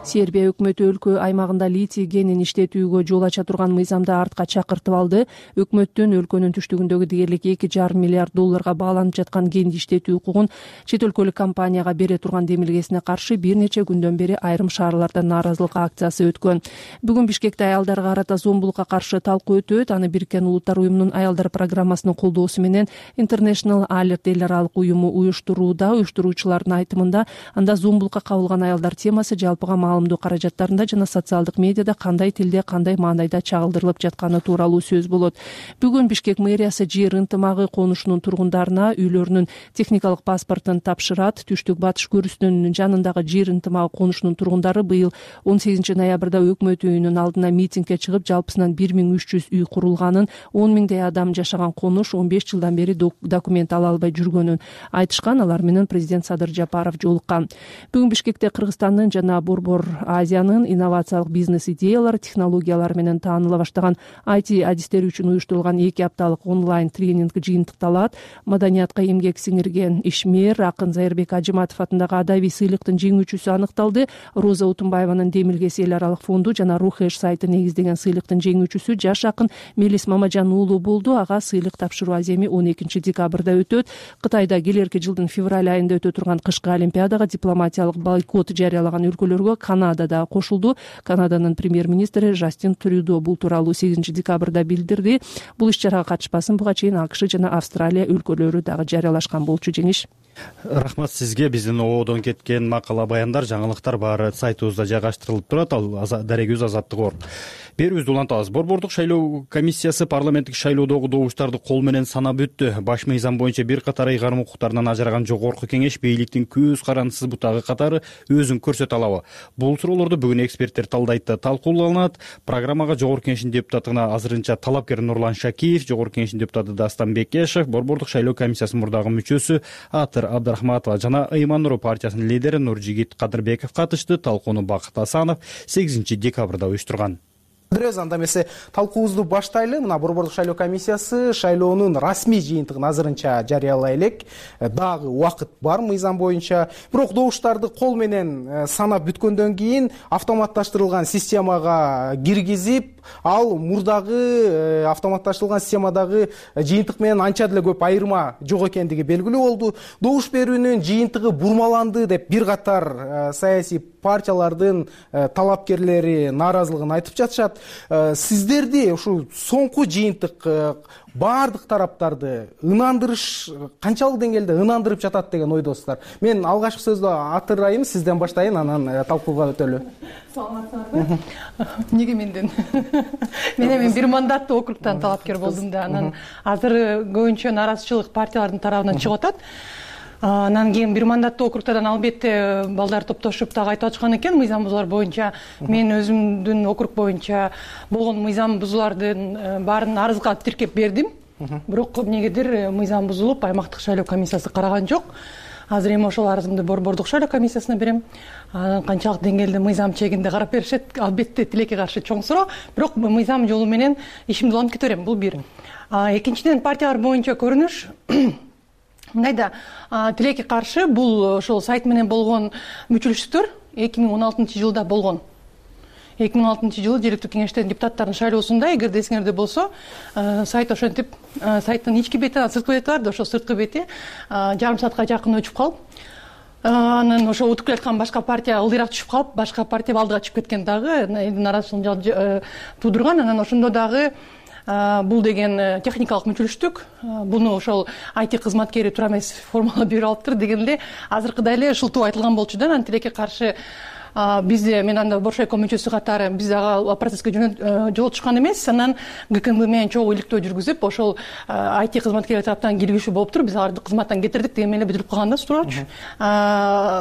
[SPEAKER 4] Сербия өкмөтү өлкө аймагында литий кенин иштетүүгө жол ача турган мыйзамды артка чакыртып алды. Өкмөттүн өлкөнүн түштүгүндөгү дээрлик эки жарым миллиард долларга бааланып жаткан кенди иштетүү укугун чет өлкөлүк компанияга бере турган демилгесине каршы бир нече күндөн бери айрым шаарларда нааразылык акциясы өткөн. Бүгүн Бишкекте аялдарга карата зомбулукка каршы талкуу өтөт. Аны Бириккен Улуттар уюмунун аялдар программасынын колдоосу менен International Alert эл аралык уюму уюштурууда. Уюштуруучулардын айтымында анда зомбулукка кабылган аялдар темасы жалпыга маалымдоо каражаттарында жана социалдык медиада кандай тилде, кандай маанайда чагылдырылып жатканы тууралуу сөз болот. Бүгүн Бишкек мэриясы жер ынтымагы конушунун тургундарына үйлөрүнүн техникалык паспортун тапшырат. Түштүк батыш көрүсүнүн жанындагы жер ынтымагы конушунун тургундары быйыл он сегизинчи ноябрда өкмөт үйүнүн алдына митингге чыгып, жалпысынан бир миң үч жүз үй курулганын, он миңдей адам жашаган конуш он беш жылдан бери документ ала албай жүргөнүн айтышкан. Алар менен президент Садыр Жапаров жолуккан. Бүгүн Бишкекте Кыргызстандын жана Борбор Азиянын инновациялык бизнес идеялар, технологиялар менен тааныла баштаган ай ти адистери үчүн уюштурулган эки апталык онлайн тренинг жыйынтыкталат. Маданиятка эмгек сиңирген ишмер акын Зайырбек Ажыматов атындагы адабий сыйлыктын жеңүүчүсү аныкталды. Роза Утунбаеванын демилгеси эл аралык фонду жана Рухеш сайты негиздеген сыйлыктын жеңүүчүсү жаш акын Мелис Мамажан уулу болду. Ага сыйлык тапшыруу аземи он экинчи декабрда өтөт. Кытайда келерки жылдын февраль айында өтө турган кышкы олимпиадага дипломатиялык бойкот жарыялаган өлкөлөргө Канада да кошулду. Канаданын премьер-министри Жастин Трюдо бул тууралуу сегизинчи декабрда билдирди. Бул иш чарага катышпасын буга чейин АКШ жана Австралия өлкөлөрү дагы жарыялашкан болчу. Жеңиш.
[SPEAKER 1] Рахмат сизге. Биздин ободон кеткен макала баяндар, жаңылыктар баары сайтыбызда жайгаштырылып турат. Ал дарегибиз Азаттык орг. Берүүбүздү улантабыз. Борбордук шайлоо комиссиясы парламенттик шайлоодогу добуштарды кол менен санап өттү. Баш мыйзам боюнча бир катар ыйгарым укуктарынан ажыраган жогорку кеңеш бийликтин көз карандысыз бутагы катары өзүн көрсөтө алабы? Бул суроолорду бүгүн эксперттер талдайт, талкууланат. Программага жогорку кеңештин депутатына азырынча талапкер Нурлан Шакиев, жогорку кеңештин депутаты Дастан Бекешев, борбордук шайлоо комиссиясынын мурдагы мүчөсү Атыр Абдрахматова жана Ыйман Нуру партиясынын лидери Нуржигит Кадырбеков катышты. Талкууну Бакыт Асанов сегизинчи декабрда уюштурган.
[SPEAKER 7] беребиз. Анда эмесе талкуубузду баштайлы. Мына Борбордук шайлоо комиссиясы шайлоонун расмий жыйынтыгын азырынча жарыялай элек. Дагы убакыт бар мыйзам боюнча. Бирок добуштарды кол менен санап бүткөндөн кийин автоматташтырылган системага киргизип, ал мурдагы автоматташтырылган системадагы жыйынтык менен анча деле көп айырма жок экендиги белгилүү болду. Добуш берүүнүн жыйынтыгы бурмаланды деп бир катар саясий партиялардын талапкерлери нааразылыгын айтып жатышат. Сиздерди ушу соңку жыйынтык баардык тараптарды ынандырыш канчалык деңгээлде ынандырып жатат деген ойдосуздар? Мен алгачкы сөздү атырайын, сизден баштайын, анан талкууга өтөлү.
[SPEAKER 6] Саламатсыңарбы? Неге менден? Мен эми бир мандаттуу округтан талапкер болдум да, анан азыр көбүнчө нааразычылык партиялардын тарабынан чыгып атат. Анан кийин бир мандаттуу округтардан албетте балдар топтошуп дагы айтып атышкан экен мыйзам бузуулар боюнча. Мен өзүмдүн округ боюнча болгон мыйзам бузуулардын баарын арызга тиркеп бердим. Бирок эмнегедир мыйзам бузулуп, аймактык шайлоо комиссиясы караган жок. Азыр эми ошол арызымды Борбордук шайлоо комиссиясына берем. Анан канчалык деңгээлде мыйзам чегинде карап беришет, албетте тилекке каршы чоң суроо. Бирок мыйзам жолу менен ишимди улантып кете берем. Бул бир. Экинчиден, партиялар боюнча көрүнүш мындайда, тилекке каршы бул ошол сайт менен болгон мүчүлүштүктөр эки миң он алтынчы жылда болгон. эки миң он алтынчы жылы жергиликтүү кеңештердин депутаттарынын шайлоосунда, эгерде эсиңерде болсо, сайт ошентип, сайттын ички бети, сырткы бети бар да, ошол сырткы бети жарым саатка жакын өчүп калып, анан ошо утуп келаткан башка партия ылдыйраак түшүп калып, башка партия алдыга чыгып кеткен дагы нааразычылык туудурган. Анан ошондо дагы бул деген техникалык мүчүлүштүк, буну ошол ай ти кызматкери туура эмес формала берип алыптыр деген эле азыркыдай эле шылтуу айтылган болчу да. Анан тилекке каршы биз мен анда Боршайко мүчөсү катары биз ага процесске жол түшкөн эмес. Анан гэ ка эм бэ менен чогуу иликтөө жүргүзүп, ошол ай ти кызматкерлер тараптан киргизүү болуптур. Биз аларды кызматтан кетирдик деген менен бүтүрүп калган да суроочу.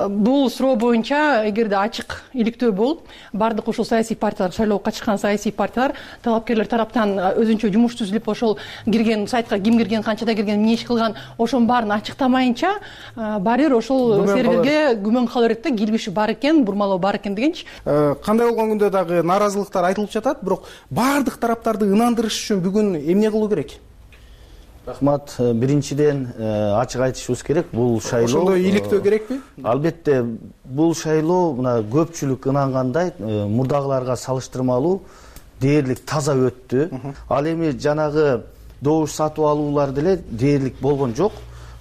[SPEAKER 6] Бул суроо боюнча эгерде ачык иликтөө болуп, бардык ошол саясий партиялар, шайлоого катышкан саясий партиялар талапкерлер тараптан өзүнчө жумуш түзүлүп, ошол кирген сайтка ким кирген, канчада кирген, эмне иш кылган, ошонун баарын ачыктамайынча баары бир ошол серверге күмөн кала берет да, кирбиши бар экен, бурмалоо бар экен дегенчи.
[SPEAKER 7] Кандай болгон күндө дагы нааразылыктар айтылып жатат, бирок баардык тараптарды ынандырыш үчүн бүгүн эмне кылуу керек?
[SPEAKER 5] Рахмат. Биринчиден ачык айтышыбыз керек, бул шайлоо
[SPEAKER 7] ошондой иликтөө керекпи?
[SPEAKER 5] Албетте, бул шайлоо мына көпчүлүк ынангандай мурдагыларга салыштырмалуу дээрлик таза өттү. Ал эми жанагы добуш сатып алуулар деле дээрлик болгон жок.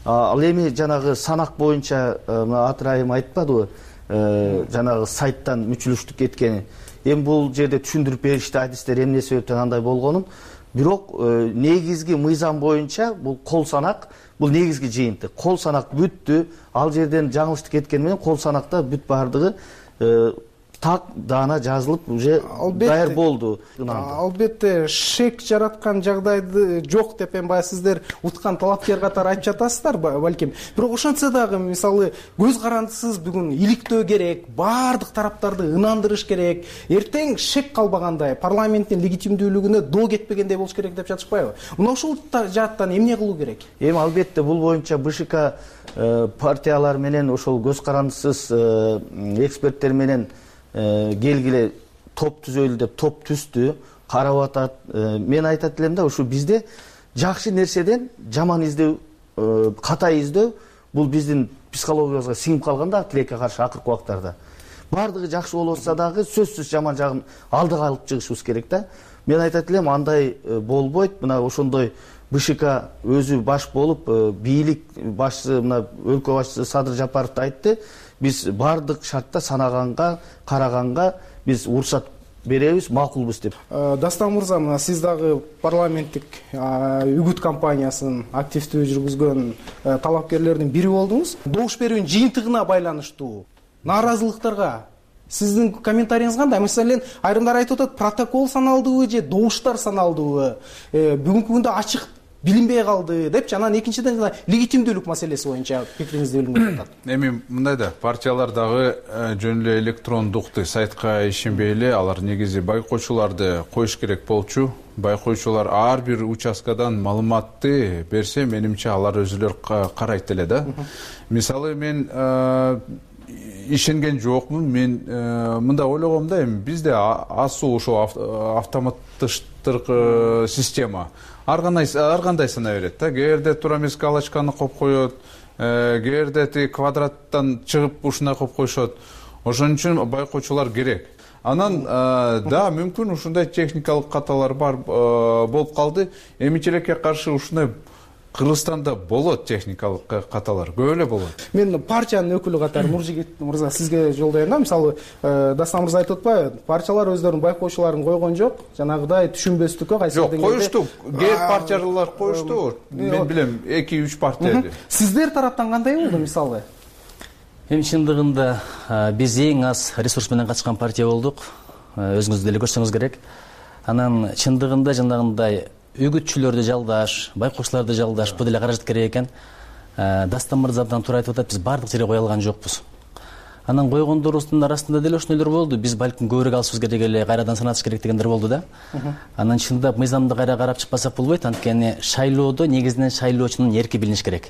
[SPEAKER 5] Ал эми жанагы санак боюнча атырайым айтпадыбы? Жанагы сайттан мүчүлүштүк кеткени. Эми бул жерде түшүндүрүп беришти, адистер эмне себептен андай болгонун. Бирок негизги мыйзам боюнча бул кол санак, бул негизги жыйынтык. Кол санак бүттү. Ал жерден жаңылыштык кеткени менен кол санакта бүт бардыгы так даана жазылып уже даяр болду.
[SPEAKER 7] Албетте шек жараткан жагдайды жок деп эми баягы сиздер уткан талапкер катары айтып жатасыздар балким. Бирок ошентсе дагы мисалы көз карандысыз бүгүн иликтөө керек, баардык тараптарды ынандырыш керек. Эртең шек калбагандай парламенттин легитимдүүлүгүнө доо кетпегендей болуш керек деп жатышпайбы? Мына ушул жааттан эмне кылуу керек?
[SPEAKER 5] Эми албетте бул боюнча бэ шэ ка партиялар менен ошол көз карандысыз эксперттер менен келгиле топ түзөлү деп топ түздү, карап атат. Мен айтат элем да, ушу бизде жакшы нерседен жаман издөө, ката издөө бул биздин психологиябызга сиңип калган да тилекке каршы акыркы убактарда. Бардыгы жакшы болуп атса дагы сөзсүз жаман жагын алдыга алып чыгышыбыз керек да. Мен айтат элем андай болбойт. Мына ошондой бэ шэ ка өзү баш болуп, бийлик башчысы, мына өлкө башчысы Садыр Жапаров айтты. Биз бардык шартта санаганга, караганга биз уруксат беребиз, макулбуз деп.
[SPEAKER 7] Дастан мырза, мына сиз дагы парламенттик үгүт кампаниясын активдүү жүргүзгөн талапкерлердин бири болдуңуз. Добуш берүүнүн жыйынтыгына байланыштуу нааразылыктарга сиздин комментарийиңиз кандай? Маселен, айрымдар айтып атат, протокол саналдыбы же добуштар саналдыбы? Бүгүнкү күндө ачык билинбей калды депчи. Анан экинчиден легитимдүүлүк маселеси боюнча пикириңизди билгим келет.
[SPEAKER 8] Эми мындай да, партиялар дагы жөн эле электрондук сайтка ишенбей эле, алар негизи байкоочуларды коюш керек болчу. Байкоочулар ар бир участкадан маалыматты берсе, менимче алар өзүлөр карайт эле да. Мисалы мен ишенген жокмун. Мен мындай ойлогом да, эми бизде асуу ошо автоматтыштыркы система ар кандай сана берет да. Кээ бирде туура эмес галочканы коюп коет, кээ бирде тиги квадраттан чыгып ушундай коюп коюшат. Ошон үчүн байкоочулар керек. Анан да, мүмкүн ушундай техникалык каталар бар болуп калды. Эмичилекке каршы ушундай Кыргызстанда болот техникалык каталар, көп эле болот.
[SPEAKER 7] Мен партиянын өкүлү катары Нуржигит мырза сизге жолдойм да. Мисалы, Дастан мырза айтып атпайбы, партиялар өздөрүнүн байкоочуларын койгон жок, жанагыдай түшүнбөстүккө кайсы
[SPEAKER 8] жок коюшту. Кээ партиялар коюшту. Мен билем эки үч партия.
[SPEAKER 7] Сиздер тараптан кандай болду мисалы?
[SPEAKER 2] Эми чындыгында биз эң аз ресурс менен катышкан партия болдук. Өзүңүз деле көрсөңүз керек. Анан чындыгында жанагындай үгүтчүлөрдү жалдаш, байкоочуларды жалдаш бул деле каражат керек экен. Дастан мырза абдан туура айтып атат, биз баардык жерге кое алган жокпуз. Анан койгондорубуздун арасында деле ошондойлор болду. Биз балким көбүрөөк алышыбыз керек эле, кайрадан санатыш керек дегендер болду да. Анан чындап мыйзамды кайра карап чыкпасак болбойт, анткени шайлоодо негизинен шайлоочунун эрки билиниш керек.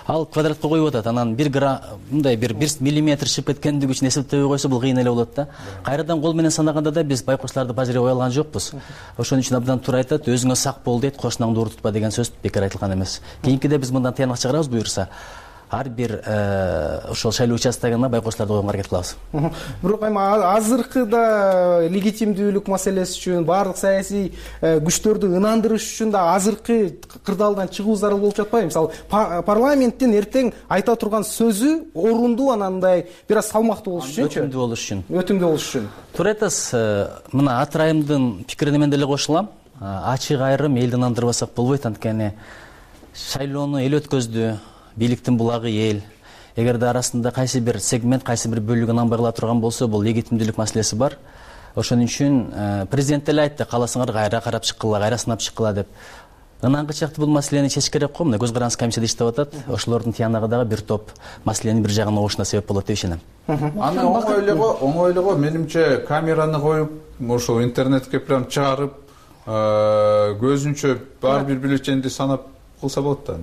[SPEAKER 2] Ал квадратка коюп атат, анан бир грамм мындай бир бир миллиметр чыгып кеткендиги үчүн эсептебей койсо бул кыйын эле болот да. Кайрадан кол менен санаганда да биз байкоочуларды баары жерге кое алган жокпуз. Ошон үчүн абдан туура айтат, өзүңө сак бол дейт, кошунаңды уур тутпа деген сөз бекер айтылган эмес. Кийинкиде биз мындан тыянак чыгарабыз буюрса. Ар бир ошол шайлоо участогуна байкоочуларды койгонго аракет кылабыз.
[SPEAKER 7] Бирок эми азыркыда легитимдүүлүк маселеси үчүн, баардык саясий күчтөрдү ынандырыш үчүн да азыркы кырдаалдан чыгуу зарыл болуп жатпайбы? Мисалы, парламенттин эртең айта турган сөзү орундуу, анандай бир аз салмактуу болуш үчүнчү?
[SPEAKER 2] Өтүмдүү болуш үчүн.
[SPEAKER 7] Өтүмдүү болуш үчүн.
[SPEAKER 2] Туура айтасыз. Мына Атырайымдын пикирине мен деле кошулам. Ачык айрым элди ынандырбасак болбойт, анткени шайлоону эл өткөздү. Бийликтин булагы эл. Эгерде арасында кайсы бир сегмент, кайсы бир бөлүгү ынанбай кала турган болсо, бул легитимдүүлүк маселеси бар. Ошон үчүн президент деле айтты, кааласаңар кайра карап чыккыла, кайра сынап чыккыла деп. Ынангычакты бул маселени чечиш керек го. Мына көз карандысыз комиссияда иштеп атат. Ошолордун тыянагы дагы бир топ маселенин бир жагына угушуна себеп болот деп ишенем.
[SPEAKER 8] Аны оңой эле го, оңой эле го. Менимче камераны коюп, ошо интернетке прям чыгарып, көзүнчө баары бир бюллетенди санап кылса болот да.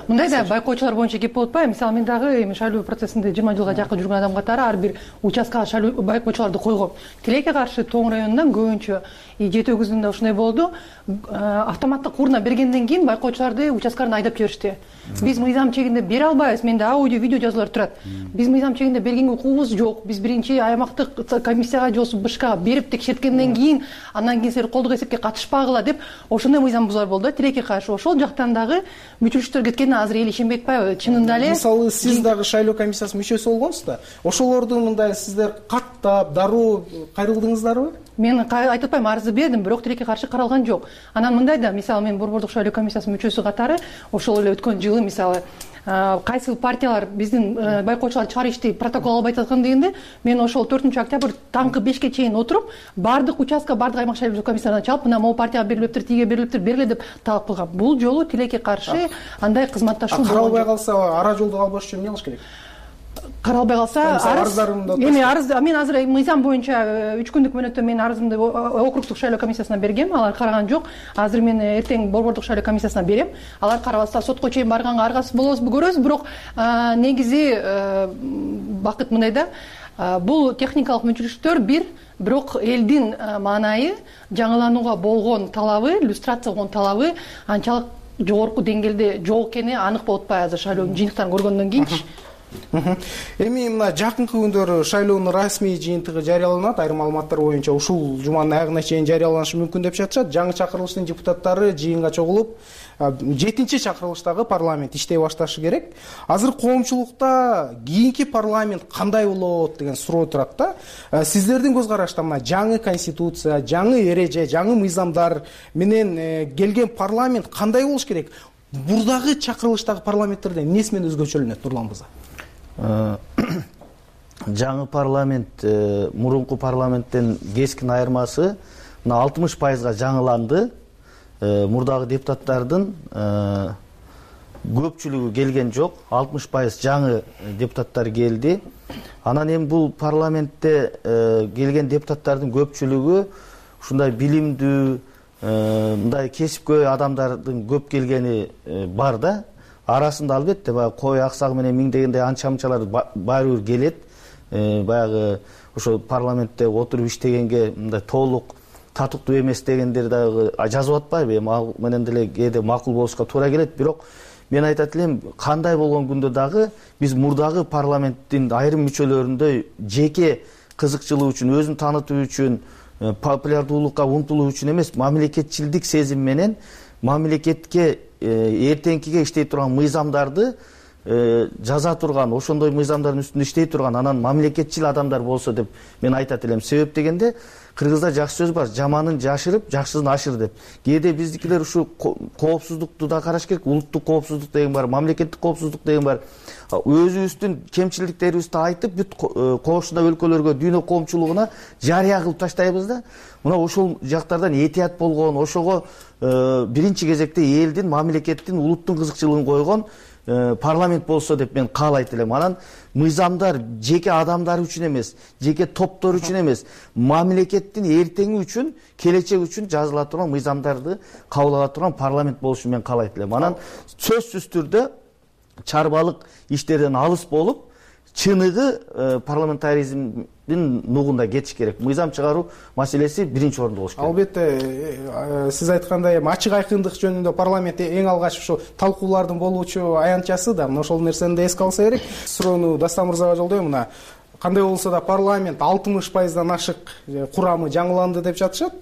[SPEAKER 6] Мындай да байкоочулар боюнча кеп болуп атпайбы? Мисалы, мен дагы эми шайлоо процессинде жыйырма жылга жакын жүргөн адам катары ар бир участкага шайлоо байкоочуларды койгом. Тилекке каршы Тоң районунан көбүнчө жети өгүзүндө ушундай болду. Автоматтык урна бергенден кийин байкоочуларды участкаларына айдап жиберишти. Биз мыйзам чегинде бере албайбыз. Менде аудио, видео жазуулар турат. Биз мыйзам чегинде бергенге укугубуз жок. Биз биринчи аймактык комиссияга же болбосо БШКга берип текшерткенден кийин, андан кийин силер колдук эсепке катышпагыла деп ошондой мыйзам бузуулар болду. Тилекке каршы ошол жактан дагы мүчүлүштөр кеткенине азыр эл ишенбей атпайбы? Чынында эле
[SPEAKER 7] мисалы сиз дагы шайлоо комиссиясынын мүчөсү болгонсуз да. Ошолорду мындай сиздер каттап, дароо кайрылдыңыздарбы?
[SPEAKER 6] Мен айтып атпайм, арызды бердим, бирок тилекке каршы каралган жок. Анан мындай да, мисалы, мен Борбордук шайлоо комиссиясынын мүчөсү катары ошол эле өткөн жылы мисалы кайсы партиялар биздин байкоочулар чыгарышты протокол албай аткан дегенде, мен ошол төртүнчү октябрь таңкы бешке чейин отуруп, баардык участка, баардык аймак шайлоо комиссияларына чалып, мына могу партияга берилиптир, тиге берилиптир, бергиле деп талап кылгам. Бул жолу тилекке каршы андай кызматташуу
[SPEAKER 7] каралбай калса, ара жолду албаш үчүн эмне кылыш керек?
[SPEAKER 6] Каралбай калса, эми арыз, мен азыр мыйзам боюнча үч күндүк мөөнөттө мен арызымды округдук шайлоо комиссиясына бергем, алар караган жок. Азыр мен эртең Борбордук шайлоо комиссиясына берем. Алар карабаса сотко чейин барганга аргасыз болобузбу көрөбүз, бирок негизи бакыт мындай да, бул техникалык мүчүлүштөр бир, бирок элдин маанайы, жаңыланууга болгон талабы, иллюстрация болгон талабы анчалык жогорку деңгээлде жок экени анык болуп атпайбы азыр шайлоонун жыйынтыктарын көргөндөн кийинчи.
[SPEAKER 7] Эми мына жакынкы күндөрү шайлоонун расмий жыйынтыгы жарыяланат. Айрым маалыматтар боюнча ушул жуманын аягына чейин жарыяланышы мүмкүн деп жатышат. Жаңы чакырылыштын депутаттары жыйынга чогулуп, жетинчи чакырылыштагы парламент иштей башташы керек. Азыр коомчулукта кийинки парламент кандай болот деген суроо турат да. Сиздердин көз карашта мына жаңы конституция, жаңы эреже, жаңы мыйзамдар менен келген парламент кандай болуш керек? Бурдагы чакырылыштагы парламенттерден эмнеси менен өзгөчөлөнөт, Нурлан мырза?
[SPEAKER 5] Жаңы парламент мурунку парламенттен кескин айырмасы мына алтымыш пайызга жаңыланды. Мурдагы депутаттардын көпчүлүгү келген жок, алтымыш пайыз жаңы депутаттар келди. Анан эми бул парламентте келген депутаттардын көпчүлүгү ушундай билимдүү, мындай кесипкөй адамдардын көп келгени бар да. Арасында албетте баягы кой аксагы менен миңдегендей анча-мынчалар баары бир келет. баягы ошо парламентте отуруп иштегенге мындай толук татыктуу эмес дегендер дагы жазып атпайбы? Эми ал менен деле кээде макул болушка туура келет. Бирок мен айтат элем, кандай болгон күндө дагы биз мурдагы парламенттин айрым мүчөлөрүндөй жеке кызыкчылык үчүн, өзүн таанытуу үчүн, популярдуулукка умтулуу үчүн эмес, мамлекетчилдик сезим менен мамлекетке эртеңкиге иштей турган мыйзамдарды жаза турган, ошондой мыйзамдардын үстүндө иштей турган, анан мамлекетчил адамдар болсо деп мен айтат элем. Себеп дегенде кыргызда жакшы сөз бар, жаманын жашырып, жакшысын ашыр деп. Кээде биздикилер ушу коопсуздукту да караш керек, улуттук коопсуздук деген бар, мамлекеттик коопсуздук деген бар. Өзүбүздүн кемчиликтерибизди айтып, бүт кошуна өлкөлөргө, дүйнө коомчулугуна жарыя кылып таштайбыз да. Мына ошол жактардан этият болгон, ошого биринчи кезекте элдин, мамлекеттин, улуттун кызыкчылыгын койгон парламент болсо деп мен каалайт элем. Анан мыйзамдар жеке адамдар үчүн эмес, жеке топтор үчүн эмес, мамлекеттин эртеңи үчүн, келечек үчүн жазыла турган мыйзамдарды кабыл ала турган парламент болушун мен каалайт элем. Анан сөзсүз түрдө чарбалык иштерден алыс болуп, чыныгы парламентаризмдин нугунда кетиш керек. Мыйзам чыгаруу маселеси биринчи орунда болуш керек.
[SPEAKER 7] Албетте, сиз айткандай эми ачык айкындык жөнүндө парламент эң алгач ушу талкуулардын болуучу аянтчасы да, мына ошол нерсени да эске алса керек. Суроону Дастан мырзага жолдойм. Мына кандай болсо да парламент алтымыш пайыздан ашык курамы жаңыланды деп жатышат.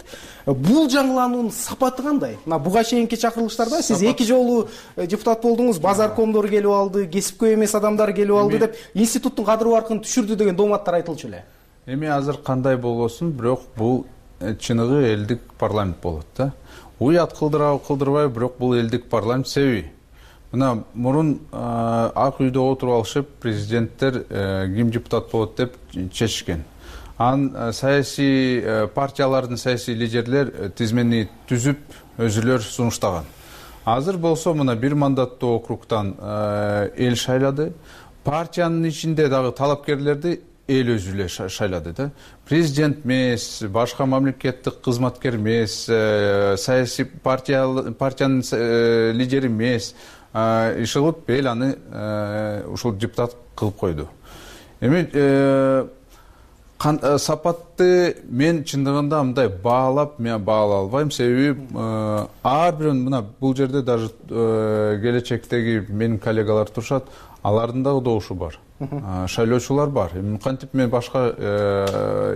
[SPEAKER 7] Бул жаңылануунун сапаты кандай? Мына буга чейинки чакырылыштарда сиз эки жолу депутат болдуңуз, базаркомдор келип алды, кесипкөй эмес адамдар келип алды деп институттун кадыр баркын түшүрдү деген дооматтар айтылчу эле.
[SPEAKER 8] Эми азыр кандай болбосун, бирок бул чыныгы элдик парламент болот да. Уят кылдырабы, кылдырбайбы, бирок бул элдик парламент. Себеби мына мурун ак үйдө отуруп алышып, президенттер ким депутат болот деп чечишкен. Анан саясий партиялардын саясий лидерлер тизмени түзүп, өзүлөр сунуштаган. Азыр болсо мына бир мандаттуу округтан эл шайлады. Партиянын ичинде дагы талапкерлерди эл өзү эле шайлады да. Президент эмес, башка мамлекеттик кызматкер эмес, саясий партиянын лидери эмес, иш кылып эл аны ушул депутат кылып койду. Эми сапатты мен чындыгында мындай баалап, мен баалай албайм. Себеби ар бирин мына бул жерде даже келечектеги менин коллегалар турушат, алардын дагы добушу бар. Шайлоочулар бар. Эми кантип мен башка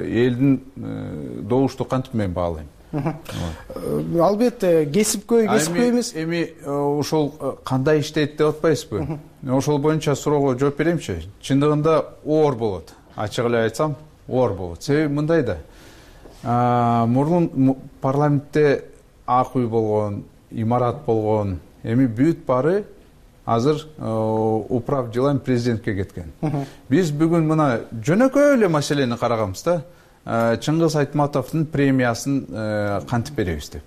[SPEAKER 8] элдин добушту кантип мен баалайм?
[SPEAKER 7] Албетте, кесипкөй, кесипкөй эмес.
[SPEAKER 8] Эми ошол кандай иштейт деп атпайсызбы? Ошол боюнча суроого жооп беремчи. Чындыгында оор болот. Ачык эле айтсам, оор болот. Себеби мындай да. Мурун парламентте ак үй болгон, имарат болгон. Эми бүт баары азыр управ делами президентке кеткен. Биз бүгүн мына жөнөкөй эле маселени караганбыз да. Чыңгыз Айтматовдун премиясын кантип беребиз деп.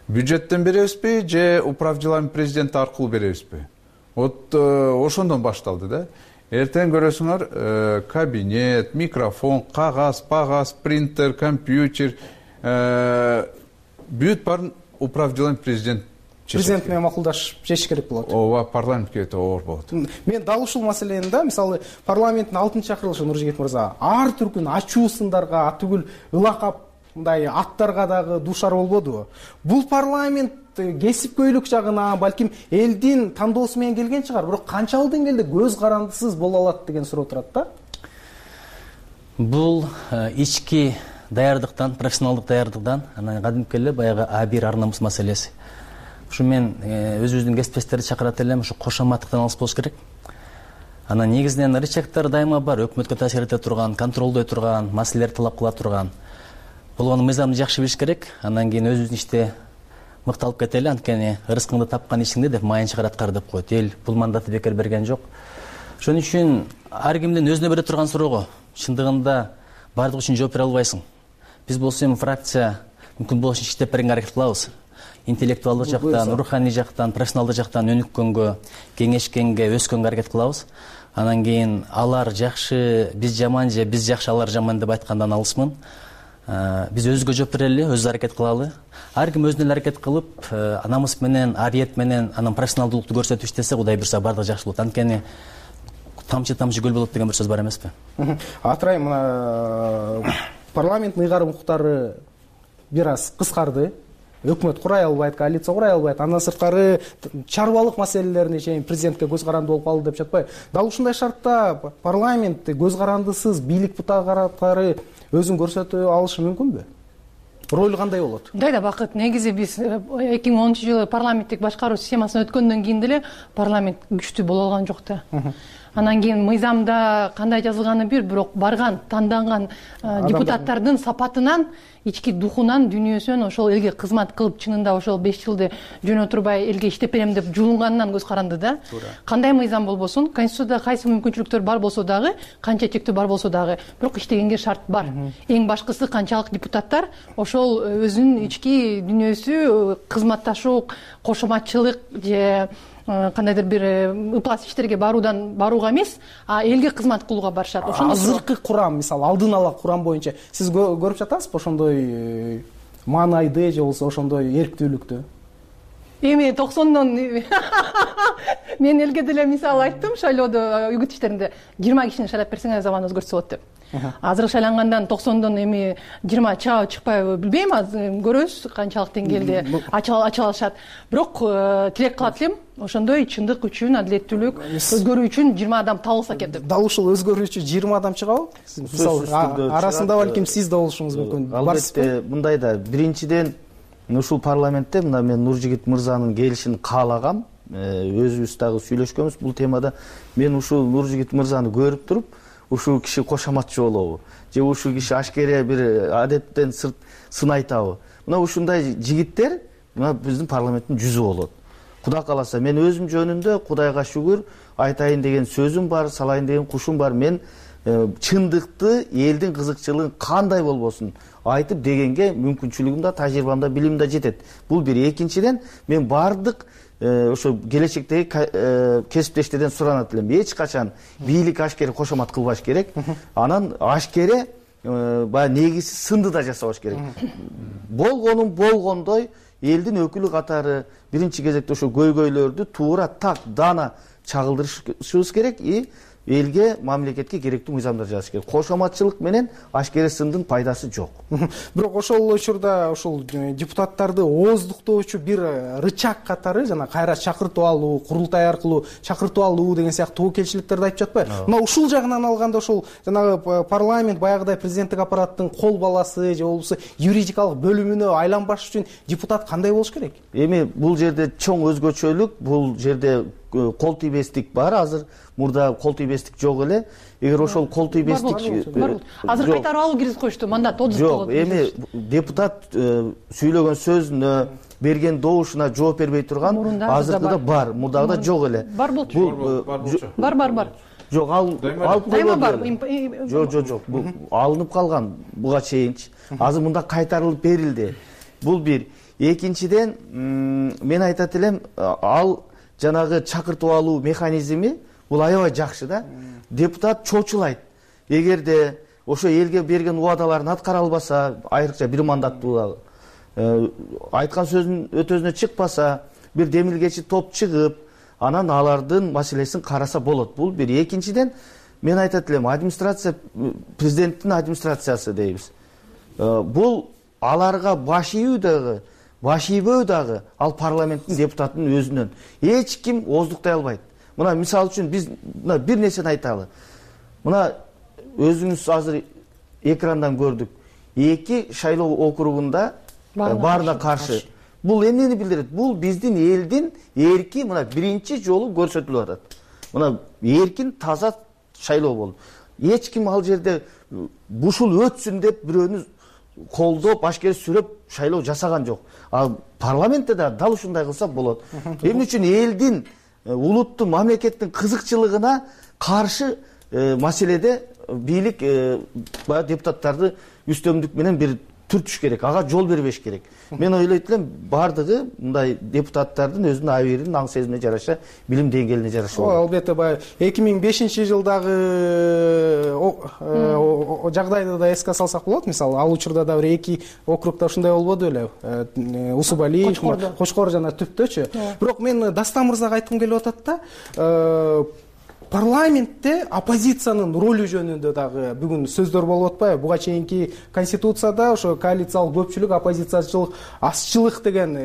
[SPEAKER 8] Бюджеттен беребизби же управ делами президенти аркылуу беребизби? Вот ошондон башталды да. Эртең көрөсүңөр, кабинет, микрофон, кагаз, пагаз, принтер, компьютер, бүт баарын управ делами президент
[SPEAKER 7] президент менен макулдашып чечиш керек болот.
[SPEAKER 8] Ооба, парламентке өтө оор болот.
[SPEAKER 7] Мен дал ушул маселени да, мисалы, парламенттин алтынчы чакырылышы Нуржигит мырза, ар түркүн ачуу сындарга, атүгүл ылакап мындай аттарга дагы дуушар болбодубу? Бул парламент кесипкөйлүк жагына, балким элдин тандоосу менен келген чыгар, бирок канчалык деңгээлде көз карандысыз боло алат деген суроо турат да.
[SPEAKER 2] Бул ички даярдыктан, профессионалдык даярдыктан, анан кадимки эле баягы а бир ар намус маселеси. Ушу мен өзүбүздүн кесиптештерди чакырат элем, ушу кошоматтыктан алыс болуш керек. Анан негизинен рычагдар дайыма бар, өкмөткө таасир эте турган, контролдой турган, маселелерди талап кыла турган. Болгону мыйзамды жакшы билиш керек. Андан кийин өзүбүздүн иште мыкталып кетели, анткени ырыскыңды тапкан ишиңди деп майын чыгарат кар деп коет. Эл бул мандатты бекер берген жок. Ошон үчүн ар кимдин өзүнө бере турган суроого чындыгында бардык үчүн жооп бере албайсың. Биз болсо эми фракция мүмкүн болушунча иштеп беренге аракет кылабыз. Интеллектуалдык жактан, руханий жактан, профессионалдык жактан өнүккөнгө, кеңешкенге, өскөнгө аракет кылабыз. Анан кийин алар жакшы, биз жаман же биз жакшы, алар жаман деп айткандан алысмын. Биз өзүбүзгө жооп берели, өзүбүз аракет кылалы. Ар ким өзүнө эле аракет кылып, намыс менен, ариет менен, анан профессионалдуулукту көрсөтүп иштесе, Кудай буйрса бардыгы жакшы болот. Анткени тамчы тамчы көл болот деген бир сөз бар эмеспи?
[SPEAKER 7] Атырай, мына парламенттин ыйгарым укуктары бир аз кыскарды. Өкмөт курай албайт, коалиция курай албайт. Андан сырткары чарбалык маселелерине чейин президентке көз каранды болуп калды деп жатпайбы? Дал ушундай шартта парламент көз карандысыз бийлик бутактары өзүн көрсөтө алышы мүмкүнбү? Ролу кандай болот?
[SPEAKER 6] Мындай да бакыт, негизи биз эки миң онунчу жылы парламенттик башкаруу системасына өткөндөн кийин деле парламент күчтүү боло алган жок да. Анан кийин мыйзамда кандай жазылганы бир, бирок барган, танданган депутаттардын сапатынан, ички духунан, дүйнөсүнөн ошол элге кызмат кылып, чынында ошол беш жылды жөн отурбай элге иштеп берем деп жулунганынан көз каранды да. Кандай мыйзам болбосун, конституцияда кайсы мүмкүнчүлүктөр бар болсо дагы, канча чектөө бар болсо дагы, бирок иштегенге шарт бар. Эң башкысы канчалык депутаттар ошол өзүнүн ички дүйнөсү, кызматташуу, кошоматчылык же кандайдыр бир ыплас иштерге баруудан барууга эмес, а элге кызмат кылууга барышат.
[SPEAKER 7] Ошондо азыркы курам, мисалы алдын ала курам боюнча сиз көрүп жатасызбы ошондой маанайды же болбосо ошондой эрктүүлүктү?
[SPEAKER 6] Эми токсондон мен элге деле мисал айттым, шайлоодо үгүт иштеринде жыйырма кишини шайлап берсеңер заман өзгөртсө болот деп. Азыр шайлангандан токсондон эми жыйырма чыгабы чыкпайбы билбейм, азыр көрөбүз канчалык деңгээлде ача алышат. Бирок тилек кылат элем, ошондой чындык үчүн, адилеттүүлүк өзгөрүү үчүн жыйырма адам табылса экен деп.
[SPEAKER 7] Дал ушул өзгөрүү үчүн жыйырма адам чыгабы? Мисалы арасында балким сиз да болушуңуз мүмкүн.
[SPEAKER 5] Албетте, мындай да биринчиден ушул парламентте мына мен Нуржигит мырзанын келишин каалагам, өзүбүз дагы сүйлөшкөнбүз бул темада. Мен ушул Нуржигит мырзаны көрүп туруп, ушул киши кошоматчы болобу же ушул киши ашкере бир адеттен сырт сын айтабы? Мына ушундай жигиттер мына биздин парламенттин жүзү болот. Кудай кааласа, мен өзүм жөнүндө Кудайга шүгүр айтайын деген сөзүм бар, салайын деген кушум бар. Мен чындыкты, элдин кызыкчылыгын кандай болбосун айтып дегенге мүмкүнчүлүгүм да, тажрыйбам да, билимим да жетет. Бул бир. Экинчиден, мен бардык ошо келечектеги кесиптештерден суранат элем. Эч качан бийлик ашкере кошомат кылбаш керек. Анан ашкере баягы негизи сынды да жасабаш керек. Болгонун болгондой элдин өкүлү катары биринчи кезекте ошо көйгөйлөрдү туура так дана чагылдырышыбыз керек и элге, мамлекетке керектүү мыйзамдар жазыш керек. Кошоматчылык менен ашкере сындын пайдасы жок.
[SPEAKER 7] Бирок ошол учурда ошол депутаттарды ооздуктоочу бир рычаг катары жана кайра чакыртып алуу, курултай аркылуу чакыртып алуу деген сыяктуу келчиликтерди айтып жатпайбы? Мына ушул жагынан алганда ошол жанагы парламент баягыдай президенттик аппараттын кол баласы же болбосо юридикалык бөлүмүнө айланбаш үчүн депутат кандай болуш керек?
[SPEAKER 5] Эми бул жерде чоң өзгөчөлүк, бул жерде кол тийбестик бар. Азыр мурда кол тийбестик жок эле. Эгер ошол кол тийбестик
[SPEAKER 6] азыр кайтарып алуу киргизип коюшту, мандат отуз
[SPEAKER 5] жок. Эми депутат сүйлөгөн сөзүнө, берген добушуна жооп бербей турган азыркыда бар, мурдагыда жок эле.
[SPEAKER 6] Бар болчу. Бар, бар, бар.
[SPEAKER 5] Жок, ал алып
[SPEAKER 6] дайыма бар.
[SPEAKER 5] Жок, жок, жок. Бул алынып калган буга чейинчи. Азыр мында кайтарылып берилди. Бул бир. Экинчиден, мен айтат элем, ал жанагы чакыртып алуу механизми бул аябай жакшы да. Депутат чочулайт. Эгерде ошо элге берген убадаларын аткара албаса, айрыкча бир мандаттуу айткан сөзүнүн өтөзүнө чыкпаса, бир демилгечи топ чыгып, анан алардын маселесин караса болот. Бул бир. Экинчиден, мен айтат элем, администрация, президенттин администрациясы дейбиз. Бул аларга баш ийүү дагы, баш ийбөө дагы ал парламенттин депутатынын өзүнөн. Эч ким ооздуктай албайт. Мына мисалы үчүн биз мына бир нерсени айталы. Мына өзүңүз азыр экрандан көрдүк. Эки шайлоо округунда баарына каршы. Бул эмнени билдирет? Бул биздин элдин эрки мына биринчи жолу көрсөтүлүп атат. Мына эркин, таза шайлоо болду. Эч ким ал жерде ушул өтсүн деп бирөөнү колдоп, ашкере сүрөп шайлоо жасаган жок. Ал парламентте да дал ушундай кылса болот. Эмне үчүн элдин, улуттун, мамлекеттин кызыкчылыгына каршы маселеде бийлик баягы депутаттарды үстөмдүк менен бир түртүш керек, ага жол бербеш керек. Мен ойлойт элем, бардыгы мындай депутаттардын өзүнүн абийиринин аң сезимине жараша, билим деңгээлине жараша болот.
[SPEAKER 7] Албетте, баягы эки миң бешинчи жылдагы жагдайды да эске салсак болот. Мисалы, ал учурда да бир эки округда ушундай болбоду беле? Усубали, Кочкор жана Түптөчү. Бирок мен Дастан мырзага айткым келип атат да, парламентте оппозициянын ролу жөнүндө дагы бүгүн сөздөр болуп атпайбы? Буга чейинки конституцияда ошо коалициялык көпчүлүк, оппозициячылык, азчылык деген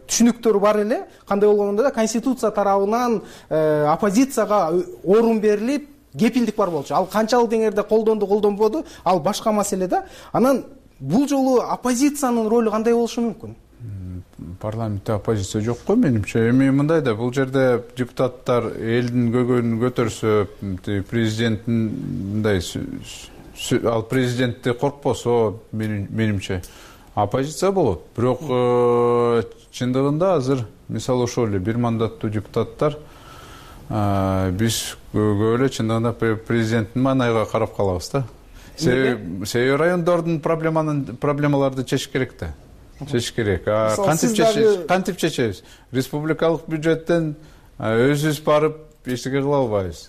[SPEAKER 7] түшүнүктөр бар эле. Кандай болгондо да конституция тарабынан оппозицияга орун берилип, кепилдик бар болчу. Ал канчалык деңгээлде колдонду, колдонбоду, ал башка маселе да. Анан бул жолу оппозициянын ролу кандай болушу мүмкүн?
[SPEAKER 8] Парламентте оппозиция жок го менимче. Эми мындай да, бул жерде депутаттар элдин көгөнүн көтөрсө, президенттин мындай ал президентти коркпосо, менимче оппозиция болот. Бирок чындыгында азыр мисалы ошол эле бир мандаттуу депутаттар биз көп эле чындыгында президенттин маанайга карап калабыз да. Себеби райондордун проблемаларды чечиш керек да. Чечиш керек. Кантип чечебиз? Кантип чечебиз? Республикалык бюджеттен өзүбүз барып эчтеке кыла албайбыз.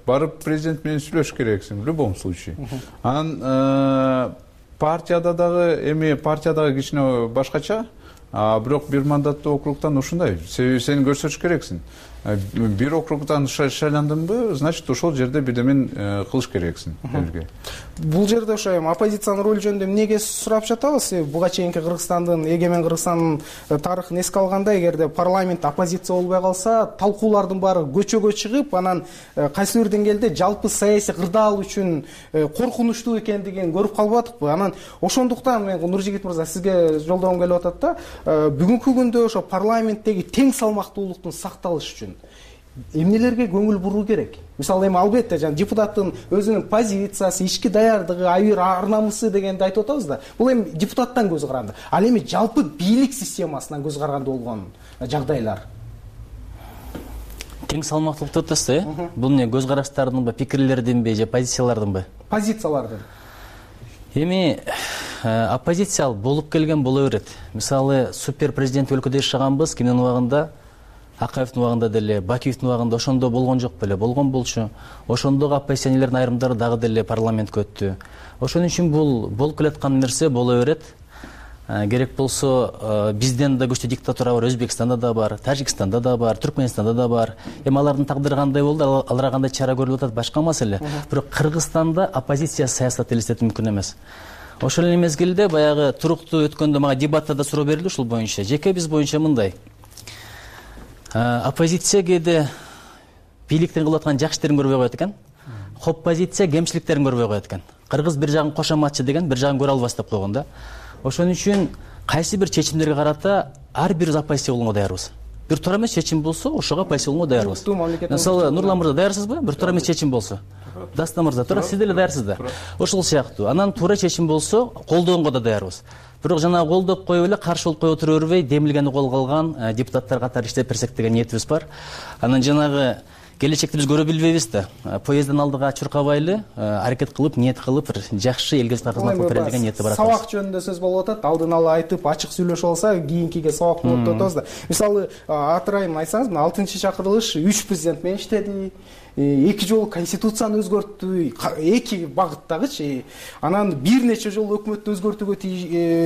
[SPEAKER 8] Барып президент менен сүйлөшүш керексиң в любом случае. Анан партияда дагы эми партиядагы кичине башкача, а бирок бир мандаттуу округтан ушундай. Себеби сен көрсөтүш керексиң. Бир округдан шайландыңбы, значит ошол жерде бирдемен кылыш керексиң элге.
[SPEAKER 7] Бул жерде ошо эми оппозициянын ролу жөнүндө эмнеге сурап жатабыз? Буга чейинки Кыргызстандын, эгемен Кыргызстандын тарыхын эске алганда, эгерде парламент оппозиция болбой калса, талкуулардын баары көчөгө чыгып, анан кайсы бир деңгээлде жалпы саясий кырдаал үчүн коркунучтуу экендигин көрүп калбадыкпы? Анан ошондуктан мен Нуржигит мырза сизге жолдогум келип атат да, бүгүнкү күндө ошо парламенттеги тең салмактуулуктун сакталышы үчүн эмнелерге көңүл буруу керек? Мисалы эми албетте жана депутаттын өзүнүн позициясы, ички даярдыгы, айыр ар намысы дегенди айтып атабыз да. Бул эми депутаттан көз каранды. Ал эми жалпы бийлик системасынан көз каранды болгон жагдайлар.
[SPEAKER 2] Тең салмактуулук деп атасыз, э? Бул эмне, көз караштардынбы, пикирлердинби же позициялардынбы?
[SPEAKER 7] Позициялардын.
[SPEAKER 2] Эми оппозиция болуп келген боло берет. Мисалы супер президент өлкөдө жашаганбыз, кимдин убагында, Акаевдин убагында деле, Бакиевдин убагында ошондо болгон жок беле, болгон болчу. Ошондогу оппозиционерлердин айрымдары дагы деле парламентке өттү. Ошон үчүн бул болуп келаткан нерсе боло берет. Керек болсо бизден да күчтүү диктатура бар, Өзбекстанда да бар, Тажикстанда да бар, Түркмөнстанда да бар. Эми алардын тагдыры кандай болду, аларга кандай чара көрүлүп атат, башка маселе. Бирок Кыргызстанда оппозиция саясат элестетүү мүмкүн эмес. Ошол эле мезгилде баягы туруктуу өткөндө мага дебатта да суроо берилди ушул боюнча. Жеке биз боюнча мындай. Оппозиция кээде бийликтин кылып аткан жакшы иштерин көрбөй коет экен. Оппозиция кемчиликтерин көрбөй коет экен. Кыргыз бир жагын кошоматчы деген, бир жагын көрө албас деп койгон да. Ошон үчүн кайсы бир чечимдерге карата ар бир оппозиция болгонго даярбыз. Бир туура эмес чечим болсо, ошого оппозиция болгонго даярбыз. Мисалы, Нурлан мырза даярсызбы? Бир туура эмес чечим болсо. Дастан мырза, туура, сиз деле даярсыз да. Ошол сыяктуу. Анан туура чечим болсо, колдоонго да даярбыз. Бирок жана колдоп коюп эле каршы болуп кое отура бербей, демилгени колго алган депутаттар катары иштеп берсек деген ниетибиз бар. Анан жанагы келечекти биз көрө билбейбиз да. Поезддин алдыга чуркабайлы, аракет кылып, ниет кылып, бир жакшы элге кызмат кылып берели деген ниети бар.
[SPEAKER 7] Сабак жөнүндө сөз болуп атат. Алдын ала айтып, ачык сүйлөшүп алса, кийинкиге сабак болот деп атабыз да. Мисалы, атырайым айтсаңыз, мына алтынчы чакырылыш үч президент менен иштеди. Эки жолу конституцияны өзгөрттү, эки багыттагычы. Анан бир нече жолу өкмөттү өзгөртүүгө